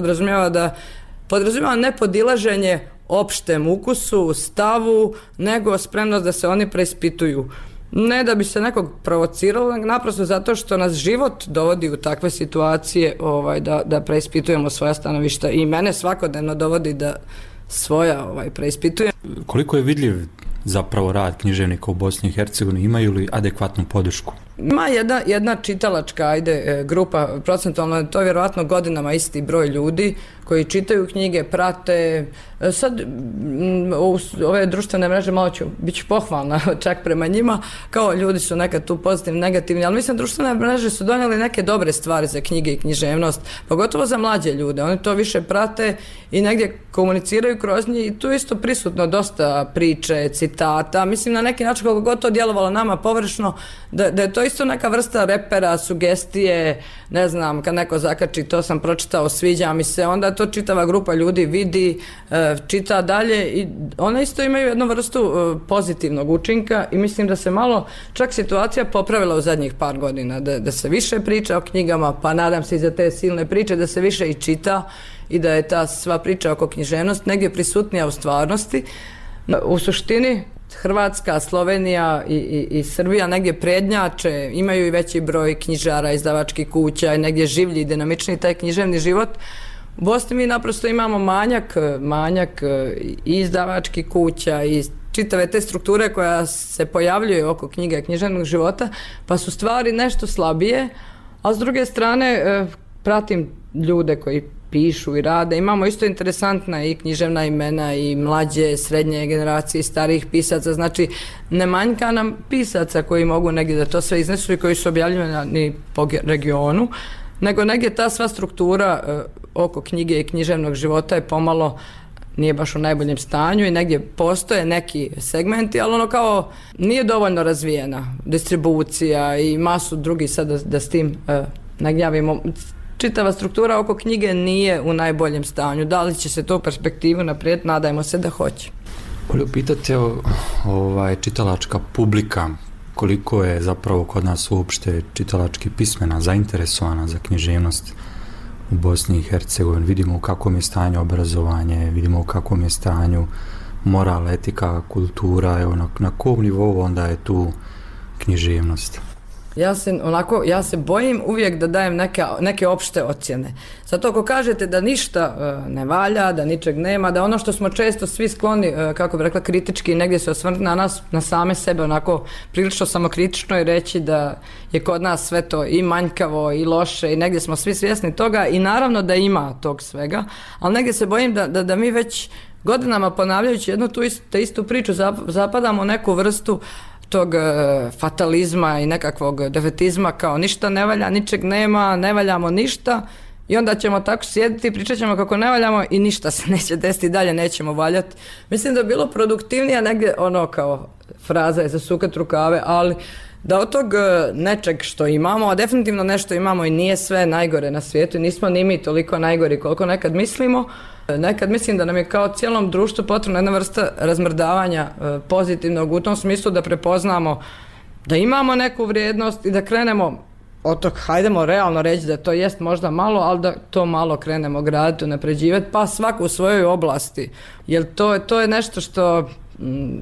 podrazumijeva ne podilaženje opštem ukusu, stavu, nego spremnost da se oni preispituju. Ne da bi se nekog provociralo, naprosto zato što nas život dovodi u takve situacije da preispitujemo svoja stanovišta i mene svakodnevno dovodi da svoja preispitujem.
Koliko je vidljiv zapravo rad književnika u Bosni i Hercegovini, imaju li adekvatnu podršku?
Ima jedna čitalačka grupa, procentualno to je vjerovatno godinama isti broj ljudi koji čitaju knjige, prate. Sad ove društvene mreže malo bit ću pohvalna čak prema njima, kao ljudi su nekad tu pozitivni, negativni, ali mislim društvene mreže su donijeli neke dobre stvari za knjige i književnost, pogotovo za mlađe ljude. Oni to više prate i negdje komuniciraju kroz njih i tu je isto prisutno dosta priče, citata. Mislim na neki način kako god to djelovalo nama površno, da je to isto neka vrsta repera, sugestije, ne znam, kad neko zakači to sam pročitao, sviđa mi se, onda to čitava grupa ljudi vidi, čita dalje i one isto imaju jednu vrstu pozitivnog učinka i mislim da se malo čak situacija popravila u zadnjih par godina, da se više priča o knjigama, pa nadam se i za te silne priče da se više i čita i da je ta sva priča oko književnosti negdje prisutnija u stvarnosti. U suštini Hrvatska, Slovenija i Srbija negdje prednjače, imaju i veći broj knjižara, izdavačkih kuća i negdje življi i dinamični taj književni život. U Bosni mi naprosto imamo manjak i izdavačkih kuća i čitave te strukture koja se pojavljuje oko knjige i književnog života, pa su stvari nešto slabije, a s druge strane pratim ljude koji pišu i rade. Imamo isto interesantna i književna imena i mlađe, srednje generacije, starijih pisaca, znači ne manjka nam pisaca koji mogu negdje da to sve iznesu i koji su objavljeni po regionu, nego negdje ta sva struktura oko knjige i književnog života je pomalo nije baš u najboljem stanju i negdje postoje neki segmenti, ali ono kao nije dovoljno razvijena distribucija i masu drugih sad da s tim ne gnjavimo. Čitava struktura oko knjige nije u najboljem stanju. Da li će se to u perspektivu naprijed? Nadajmo se da hoće.
Volio pitati čitalačka publika, koliko je zapravo kod nas uopšte čitalački pismena, zainteresovana za književnost u Bosni i Hercegovini. Vidimo u kakvom je stanju obrazovanje, vidimo u kakvom je stanju moral, etika, kultura, evo na kom nivou onda je tu književnost.
Ja se bojim uvijek da dajem neke opšte ocjene. Zato ako kažete da ništa ne valja, da ničeg nema, da ono što smo često svi skloni, kako bi rekla, kritički negdje se osvrnuti na nas, na same sebe, onako prilično samokritično i reći da je kod nas sve to i manjkavo i loše i negdje smo svi svjesni toga i naravno da ima tog svega, ali negdje se bojim da mi već godinama ponavljajući jednu tu istu priču zapadamo u neku vrstu tog fatalizma i nekakvog defetizma kao ništa ne valja, ničeg nema, ne valjamo ništa i onda ćemo tako sjediti i pričat ćemo kako ne valjamo i ništa se neće desiti, dalje nećemo valjati. Mislim da je bilo produktivnije negdje ono kao fraza je za sukat rukave, ali da od tog nečeg što imamo, a definitivno nešto imamo i nije sve najgore na svijetu i nismo ni mi toliko najgori koliko nekad mislimo. Nekad mislim da nam je kao cijelom društvu potrebna jedna vrsta razmrdavanja pozitivnog u tom smislu da prepoznamo da imamo neku vrijednost i da krenemo od tog, hajdemo realno reći da to jest možda malo, ali da to malo krenemo graditi, unapređivati, pa svako u svojoj oblasti. Jer to je nešto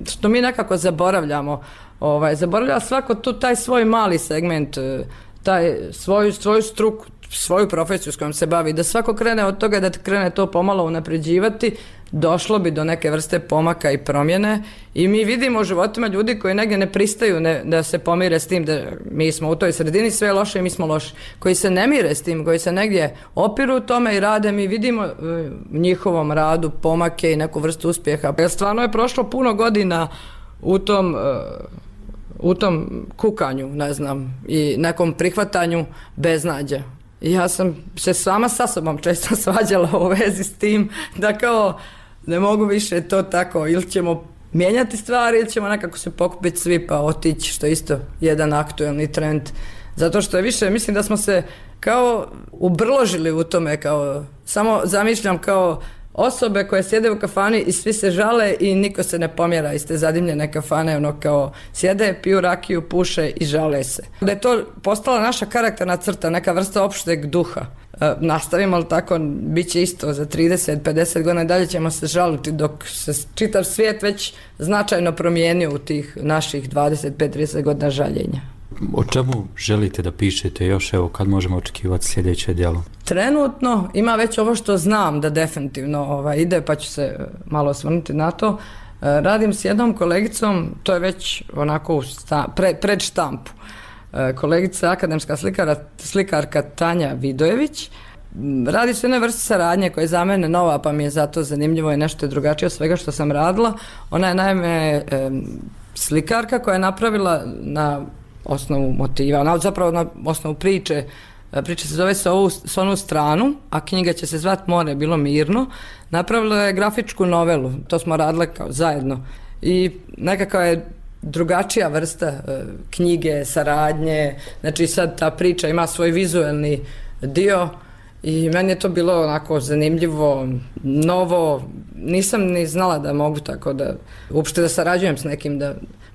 što mi nekako zaboravljamo. Zaboravlja svako tu taj svoj mali segment, taj svoju struku, svoju profesiju s kojom se bavi, da svako krene od toga da krene to pomalo unapređivati, došlo bi do neke vrste pomaka i promjene i mi vidimo u životima ljudi koji negdje ne pristaju da se pomire s tim da mi smo u toj sredini, sve je loše i mi smo loši, koji se ne mire s tim, koji se negdje opiru u tome i rade, mi vidimo u njihovom radu pomake i neku vrstu uspjeha. Jer stvarno je prošlo puno godina u tom kukanju, ne znam, i nekom prihvatanju beznađa. Ja sam se sama sa sobom često svađala u vezi s tim da kao ne mogu više to tako, ili ćemo mijenjati stvari ili ćemo nekako se pokupiti svi pa otići, što je isto jedan aktuelni trend. Zato što je više, mislim da smo se kao ubrložili u tome, kao samo zamišljam kao osobe koje sjede u kafani i svi se žale i niko se ne pomjera iz te zadimljene kafane, ono kao sjede, piju rakiju, puše i žale se. Da je to postala naša karakterna crta, neka vrsta opšteg duha. Nastavimo li tako, bit će isto za 30-50 godina, dalje ćemo se žaliti dok se čitav svijet već značajno promijenio u tih naših 25-30 godina žaljenja.
O čemu želite da pišete još, evo, kad možemo očekivati sljedeće djelo?
Trenutno ima već ovo što znam da definitivno ide, pa ću se malo osvrnuti na to. Radim s jednom kolegicom, to je već onako pred štampu. Kolegica, akademska slikarka Tanja Vidojević. Radi se jednoj vrsti saradnje koja je za mene nova, pa mi je zato zanimljivo i nešto drugačije od svega što sam radila. Ona je naime slikarka koja je napravila na osnovu motiva, zapravo na osnovu priče. Priča se zove S onu stranu, a knjiga će se zvati More bilo mirno. Napravila je grafičku novelu, to smo radile kao zajedno. I nekakva je drugačija vrsta knjige, saradnje, znači sad ta priča ima svoj vizuelni dio i meni je to bilo onako zanimljivo, novo, nisam ni znala da mogu tako da uopšte da sarađujem s nekim,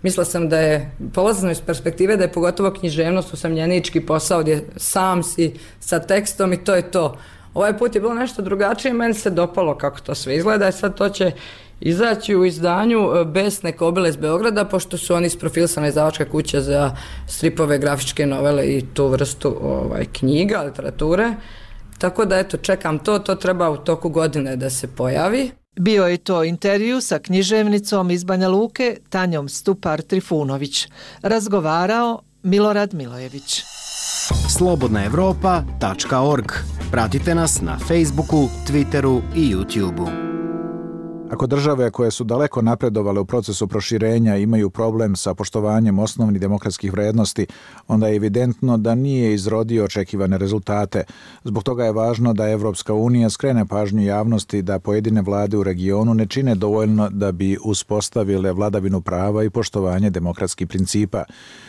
mislila sam da je, polazno iz perspektive da je pogotovo književnost usamljenički posao gdje sam si sa tekstom i to je to. Ovaj put je bilo nešto drugačije, meni se dopalo kako to sve izgleda i sad to će izaći u izdanju Besne kobile iz Beograda, pošto su oni isprofilisana izdavačka kuća za stripove, grafičke novele i tu vrstu knjiga, literature. Tako da eto, čekam to treba u toku godine da se pojavi.
Bio je to intervju sa književnicom iz Banja Luke Tanjom Stupar-Trifunović. Razgovarao Milorad Milojević.
slobodnaevropa.org. Pratite nas na Facebooku, Twitteru i YouTubeu.
Ako države koje su daleko napredovale u procesu proširenja imaju problem sa poštovanjem osnovnih demokratskih vrednosti, onda je evidentno da nije izrodio očekivane rezultate. Zbog toga je važno da Evropska unija skrene pažnju javnosti da pojedine vlade u regionu ne čine dovoljno da bi uspostavile vladavinu prava i poštovanje demokratskih principa,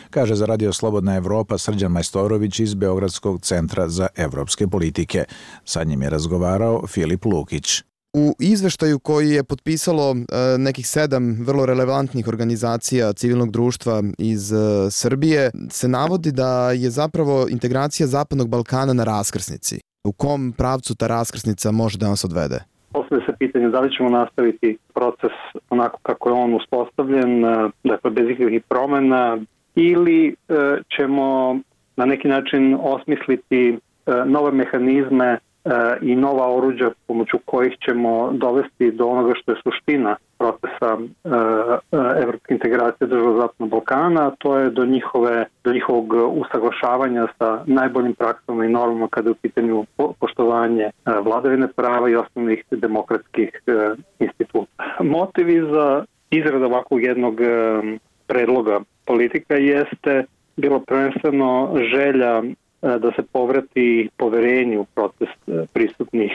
kaže za Radio Slobodna Evropa Srđan Majstorović iz Beogradskog centra za evropske politike. Sa njim je razgovarao Filip Lukić.
U izveštaju koji je potpisalo nekih 7 vrlo relevantnih organizacija civilnog društva iz Srbije se navodi da je zapravo integracija Zapadnog Balkana na raskrsnici. U kom pravcu ta raskrsnica može da nas odvede?
Postavlja se pitanje da li ćemo nastaviti proces onako kako je on uspostavljen, dakle bez ikakvih promjena, ili ćemo na neki način osmisliti nove mehanizme i nova oruđa pomoću kojih ćemo dovesti do onoga što je suština procesa evropske integracije država Zapadnog Balkana, a to je do njihovog usaglašavanja sa najboljim praksama i normama kada je u pitanju poštovanje vladavine prava i osnovnih demokratskih instituta. Motivi za izradu ovakvog jednog predloga politika jeste bilo prvenstveno želja da se povrati poverenje u proces pristupnih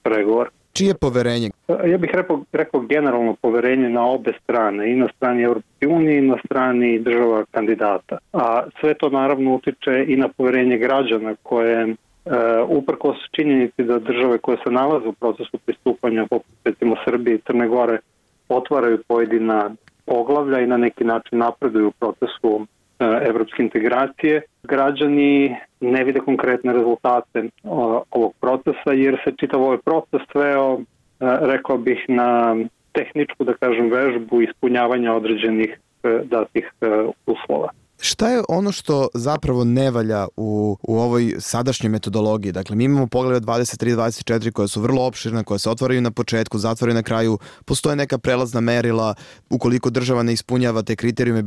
pregovora.
Čije poverenje?
Ja bih rekao generalno poverenje na obe strane, i na strani Evropske unije i na strani država kandidata. A sve to naravno utiče i na poverenje građana koje uprkos činjenici da države koje se nalaze u procesu pristupanja, poput recimo Srbije i Crne Gore, otvaraju pojedina poglavlja i na neki način napreduju u procesu evropske integracije, građani ne vide konkretne rezultate ovog procesa jer se čitav ovaj proces sveo, rekao bih, na tehničku, da kažem, vežbu ispunjavanja određenih datih uslova.
Šta je ono što zapravo ne valja u ovoj sadašnjoj metodologiji? Dakle, mi imamo poglede 23-24 koje su vrlo opširne, koje se otvaraju na početku, zatvaraju na kraju, postoje neka prelazna merila, ukoliko država ne ispunjava te kriterijume,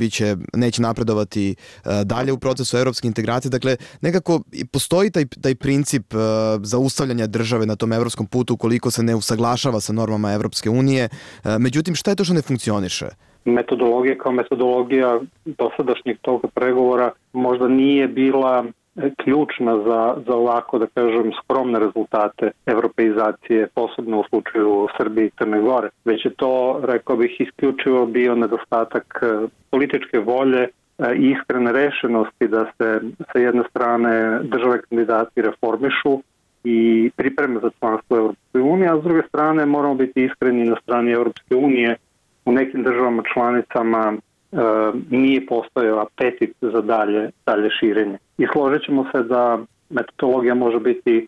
neće napredovati dalje u procesu evropske integracije. Dakle, nekako postoji taj princip zaustavljanja države na tom evropskom putu ukoliko se ne usaglašava sa normama Evropske unije. Međutim, šta je to što ne funkcioniše?
Metodologija kao metodologija dosadašnjeg toga pregovora možda nije bila ključna za ovako, da kažem, skromne rezultate europeizacije, posebno u slučaju Srbije i Crne Gore. Već je to, rekao bih, isključivo bio nedostatak političke volje i iskrene rešenosti da se sa jedne strane države kandidati reformišu i pripreme za članstvo Europske unije, a s druge strane moramo biti iskreni na strani Europske unije. U nekim državama članicama nije postojao apetit za dalje širenje. I složit ćemo se da metodologija može biti,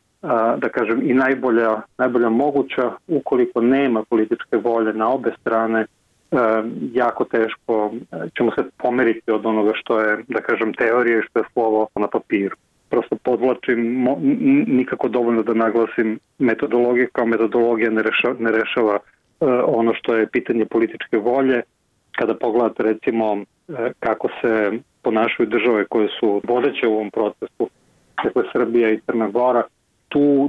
da kažem, i najbolja moguća. Ukoliko nema političke volje na obe strane, jako teško ćemo se pomeriti od onoga što je, da kažem, teorija i što je slovo na papiru. Prosto podvlačim, nikako dovoljno da naglasim metodologiju kao metodologija ne rešava ono što je pitanje političke volje. Kada pogledate recimo kako se ponašaju države koje su vodeće u ovom procesu, dakle Srbija i Crna Gora,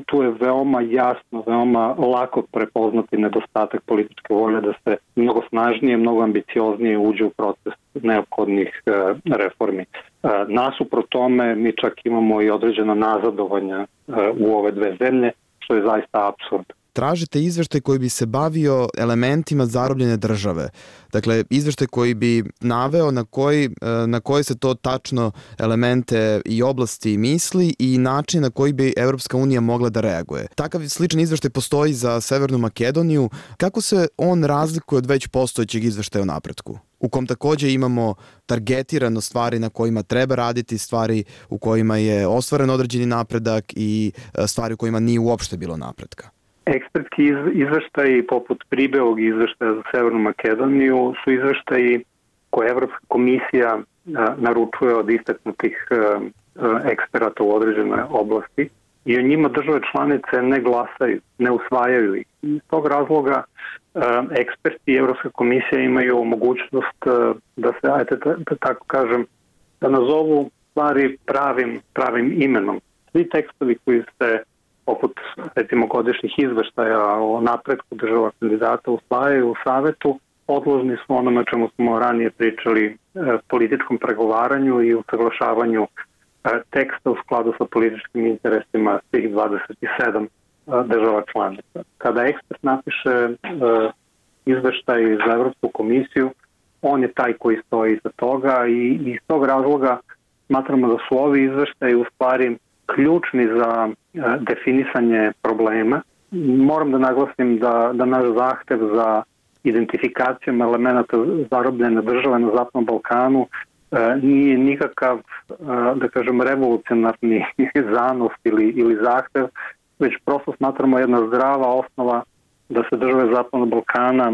tu je veoma jasno, veoma lako prepoznati nedostatak političke volje da se mnogo snažnije, mnogo ambicioznije uđe u proces neophodnih reformi. Nasuprot tome mi čak imamo i određena nazadovanja u ove dve zemlje, što je zaista apsurd.
Tražite izveštaj koji bi se bavio elementima zarobljene države. Dakle, izveštaj koji bi naveo na koje se to tačno elemente i oblasti misli i način na koji bi Evropska unija mogla da reaguje. Takav sličan izveštaj postoji za Severnu Makedoniju. Kako se on razlikuje od već postojećeg izveštaja o napretku? U kom takođe imamo targetirano stvari na kojima treba raditi, stvari u kojima je ostvaren određeni napredak i stvari u kojima nije uopšte bilo napretka.
Ekspertski izveštaji poput Pribeog izveštaja za Severnu Makedoniju su izveštaji koje Evropska komisija naručuje od istaknutih eksperata u određenoj oblasti i o njima države članice ne glasaju, ne usvajaju ih. Iz tog razloga eksperti i Evropska komisija imaju mogućnost da se, da tako kažem, da nazovu stvari pravim imenom. Svi tekstovi koji se poput recimo godišnjih izveštaja o napretku država kandidata usvajaju u savetu, podložni su onome čemu smo ranije pričali, političkom pregovaranju i usaglašavanju teksta u skladu sa političkim interesima svih 27 država članica. Kada ekspert napiše izveštaj za Evropsku komisiju, on je taj koji stoji iza toga i iz tog razloga smatramo da su ovi izveštaji u stvari ključni za definisanje problema. Moram da naglasim da naš zahtev za identifikacijom elemenata zarobljene države na Zapadnom Balkanu nije nikakav, da kažem, revolucionarni zanos ili zahtev, već prosto smatramo jedna zdrava osnova da se države Zapadnog Balkana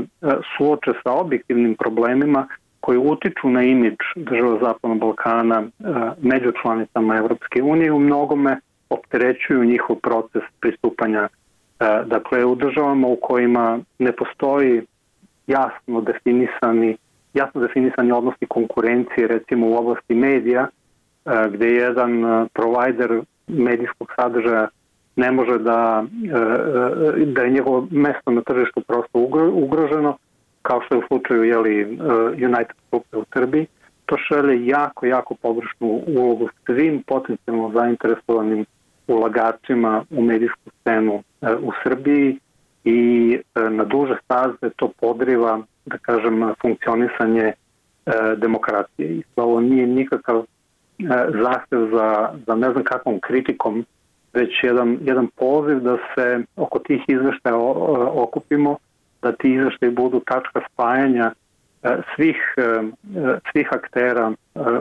suoče sa objektivnim problemima koji utiču na imidž država Zapadnog Balkana među članicama Evropske unije i u mnogome opterećuju njihov proces pristupanja. Dakle, u državama u kojima ne postoji jasno definisani odnosi konkurencije, recimo u oblasti medija, gde jedan provajder medijskog sadržaja ne može da je njegovo mesto na tržištu prosto ugroženo, kao što je u slučaju United Grupe u Srbiji, to šalje jako pogrešnu ulogu svim potencijalno zainteresovanim ulagačima u medijsku scenu u Srbiji i na duže staze to podriva, da kažem, funkcionisanje demokracije. I ovo nije nikakav zahtev za ne znam kakvom kritikom, već jedan poziv da se oko tih izveštaja okupimo, da ti izveštaji budu tačka spajanja svih aktera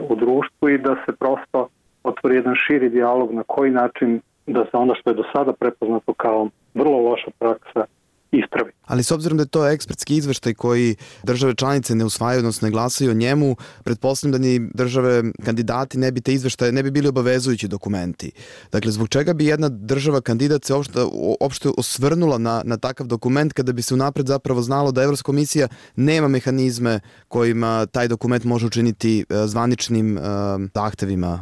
u društvu i da se prosto otvori jedan širi dijalog na koji način da se ono što je do sada prepoznato kao vrlo loša praksa ispravi.
Ali s obzirom da je to ekspertski izveštaj koji države članice ne usvajaju, odnosno ne glasaju o njemu, pretpostavljam da ni države kandidati ne bi te izveštaje, ne bi bili obavezujući dokumenti. Dakle, zbog čega bi jedna država kandidat se uopšte osvrnula na takav dokument kada bi se unapred zapravo znalo da Evropska komisija nema mehanizme kojima taj dokument može učiniti zvaničnim zahtevima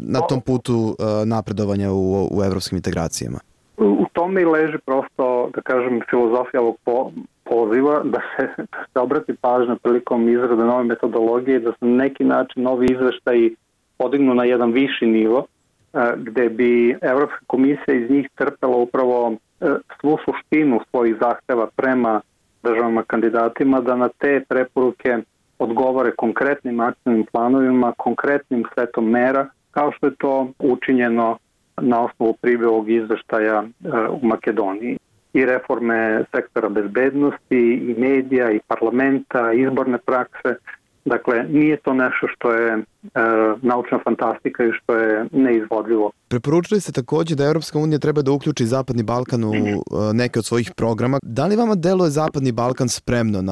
na tom putu napredovanja u evropskim integracijama?
U tome i leži prosto, da kažem, filozofija ovog poziva da se obrati pažnja prilikom izrade nove metodologije i da se na neki način novi izveštaji podignu na jedan viši nivo gde bi Evropska komisija iz njih crpela upravo svu suštinu svojih zahteva prema državama kandidatima, da na te preporuke odgovore konkretnim akcijnim planovima, konkretnim setom mera, kao što je to učinjeno na osnovu pribjevog izveštaja u Makedoniji. I reforme sektora bezbednosti, i medija, i parlamenta, i izborne prakse. Dakle, nije to nešto što je naučna fantastika i što je neizvodljivo.
Preporučili ste također da Europska unija treba da uključi Zapadni Balkan u neke od svojih programa. Da li vama deluje Zapadni Balkan spremno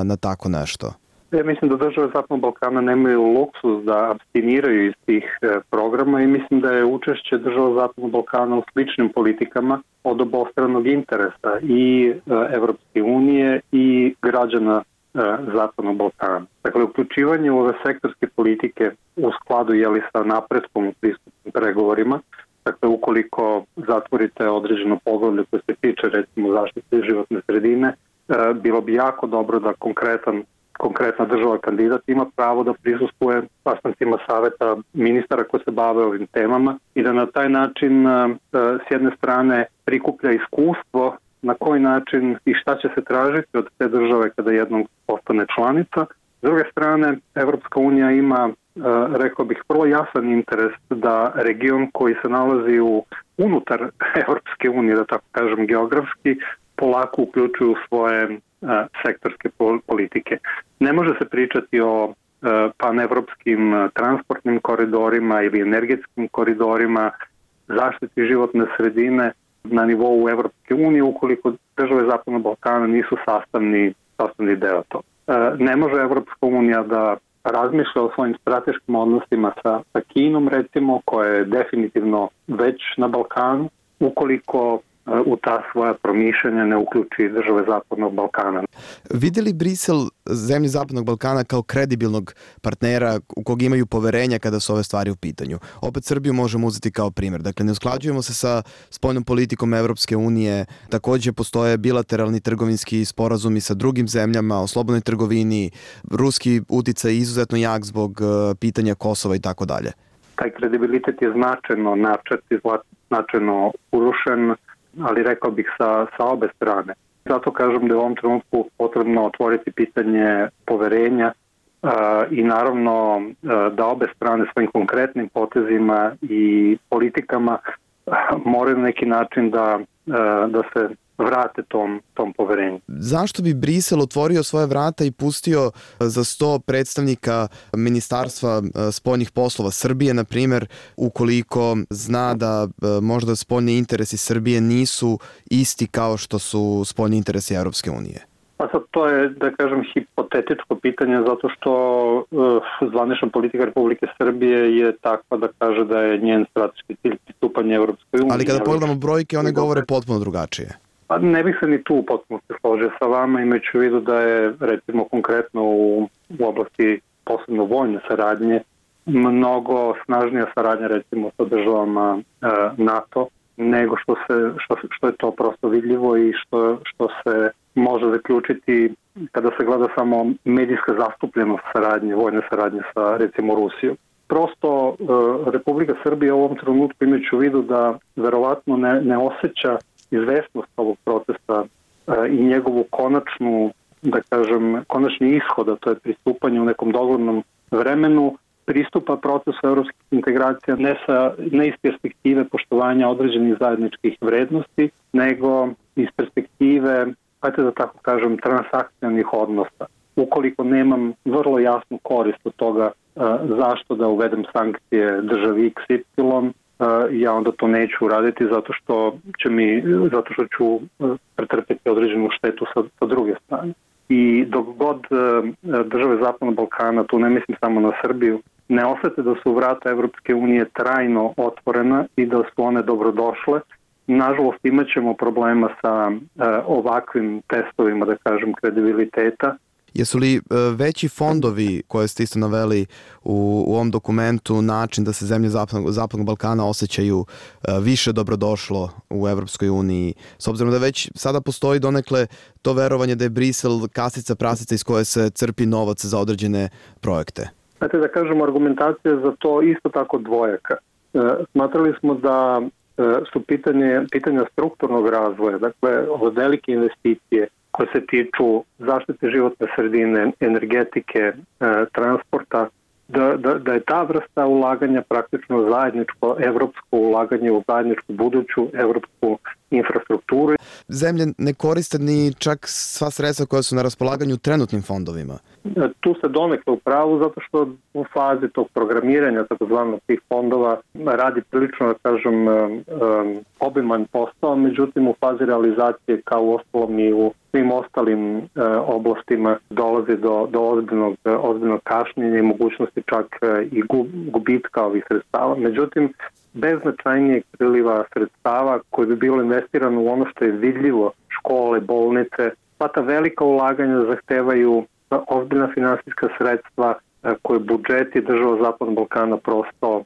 na tako nešto?
Ja mislim da države Zapadnog Balkana nemaju luksuz da abstiniraju iz tih programa i mislim da je učešće država Zapadnog Balkana u sličnim politikama od obostranog interesa i Evropske unije i građana Zapadnog Balkana. Dakle, uključivanje u ove sektorske politike u skladu sa napretkom u pristupnim pregovorima, dakle, ukoliko zatvorite određeno poglavlje koje se tiče recimo zaštite životne sredine, bilo bi jako dobro da konkretna država kandidat ima pravo da prisustvuje sastancima saveta ministara koji se bave ovim temama i da na taj način s jedne strane prikuplja iskustvo na koji način i šta će se tražiti od te države kada jednom postane članica. S druge strane, Evropska unija ima, rekao bih, vrlo jasan interes da region koji se nalazi unutar Evropske unije, da tako kažem geografski, polako uključuju svoje sektorske politike. Ne može se pričati o panevropskim transportnim koridorima ili energetskim koridorima, zaštiti životne sredine na nivou Evropske unije ukoliko države Zapadnog Balkana nisu sastavni deo to. Ne može Evropska unija da razmišlja o svojim strateškim odnosima sa Kinom, recimo, koja je definitivno već na Balkanu, ukoliko u ta svoja promišljanja ne uključi države Zapadnog Balkana.
Vidi li Brisel zemlje Zapadnog Balkana kao kredibilnog partnera u kog imaju poverenja kada su ove stvari u pitanju? Opet Srbiju možemo uzeti kao primjer. Dakle, ne usklađujemo se sa spoljnom politikom Evropske unije. Također postoje bilateralni trgovinski sporazumi sa drugim zemljama o slobodnoj trgovini. Ruski uticaj je izuzetno jak zbog pitanja Kosova i tako dalje.
Taj kredibilitet je značajno načet i značajno urušen, ali rekao bih sa obe strane. Zato kažem da je u ovom trenutku potrebno otvoriti pitanje poverenja i naravno da obe strane svojim konkretnim potezima i politikama moraju na neki način da se vrate tom poverenju.
Zašto bi Brisel otvorio svoje vrata i pustio za 100 predstavnika Ministarstva spoljnih poslova Srbije, na primjer, ukoliko zna da možda spoljni interesi Srbije nisu isti kao što su spoljni interesi Europske unije?
Pa sad to je, da kažem, hipotetičko pitanje zato što zvanična politika Republike Srbije je takva da kaže da je njen strateški cilj pristupanje Europskoj uniji.
Ali kada pogledamo brojke, one govore potpuno drugačije.
Pa ne bih se ni tu potpuno složio sa vama, imajući u vidu da je, recimo, konkretno u oblasti posebno vojne saradnje mnogo snažnija saradnja, recimo, sa državama NATO, nego što je to prosto vidljivo i što se može zaključiti kada se gleda samo medijska zastupljenost saradnje, vojne saradnje sa, recimo, Rusijom. Prosto Republika Srbija u ovom trenutku, imajući u vidu da verovatno ne osjeća izvesnost ovog procesa i njegovu konačni ishod, a to je pristupanje u nekom doglednom vremenu, pristupa procesu europskih integracija ne iz perspektive poštovanja određenih zajedničkih vrednosti, nego iz perspektive, da tako kažem, transakcionalnih odnosa. Ukoliko nemam vrlo jasnu korist od toga zašto da uvedem sankcije državi XY, ja onda to neću uraditi zato što ću pretrpeti određenu štetu sa druge strane. I dok god države Zapadnog Balkana, tu ne mislim samo na Srbiju, ne osete da su vrata Evropske unije trajno otvorena i da su one dobrodošle, nažalost imat ćemo problema sa ovakvim testovima, da kažem, kredibiliteta.
Jesu li veći fondovi koje ste isto naveli u ovom dokumentu način da se zemlje Zapadnog Balkana osjećaju više dobrodošlo u Evropskoj uniji, s obzirom da već sada postoji donekle to verovanje da je Brisel kasica prasica iz koje se crpi novac za određene projekte?
Znate, da kažemo, argumentacija za to isto tako dvojaka. Smatrali smo da su pitanja strukturnog razvoja, dakle od velike investicije koje se tiču zaštite životne sredine, energetike, transporta, da je ta vrsta ulaganja praktično zajedničko evropsko ulaganje u zajedničku buduću evropsku infrastrukturu.
Zemlje ne koriste ni čak sva sredstva koja su na raspolaganju trenutnim fondovima.
Tu se donekle u pravu zato što u fazi tog programiranja takozvanog tih fondova radi prilično, da kažem, obiman posao, međutim u fazi realizacije kao u ostalom i u svim ostalim oblastima dolazi do ozbiljnog kašnjenja i mogućnosti čak i gubitka ovih sredstava. Međutim, bez značajnijeg priliva sredstava koje bi bilo investirano u ono što je vidljivo, škole, bolnice, pa ta velika ulaganja zahtevaju ozbiljna finansijska sredstva koje budžeti država Zapadnog Balkana prosto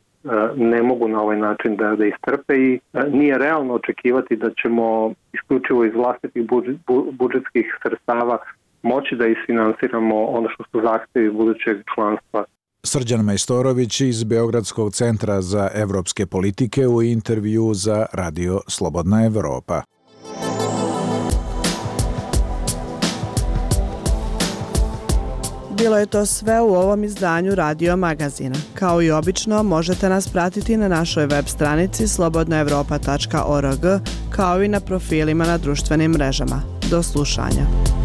ne mogu na ovaj način da istrpe i nije realno očekivati da ćemo isključivo iz vlastitih budžetskih sredstava moći da isfinansiramo ono što su zahtevi budućeg članstva.
Srđan Majstorović iz Beogradskog centra za evropske politike u intervju za Radio Slobodna Evropa.
Bilo je to sve u ovom izdanju Radio Magazina. Kao i obično, možete nas pratiti na našoj web stranici slobodnaevropa.org, kao i na profilima na društvenim mrežama. Do slušanja.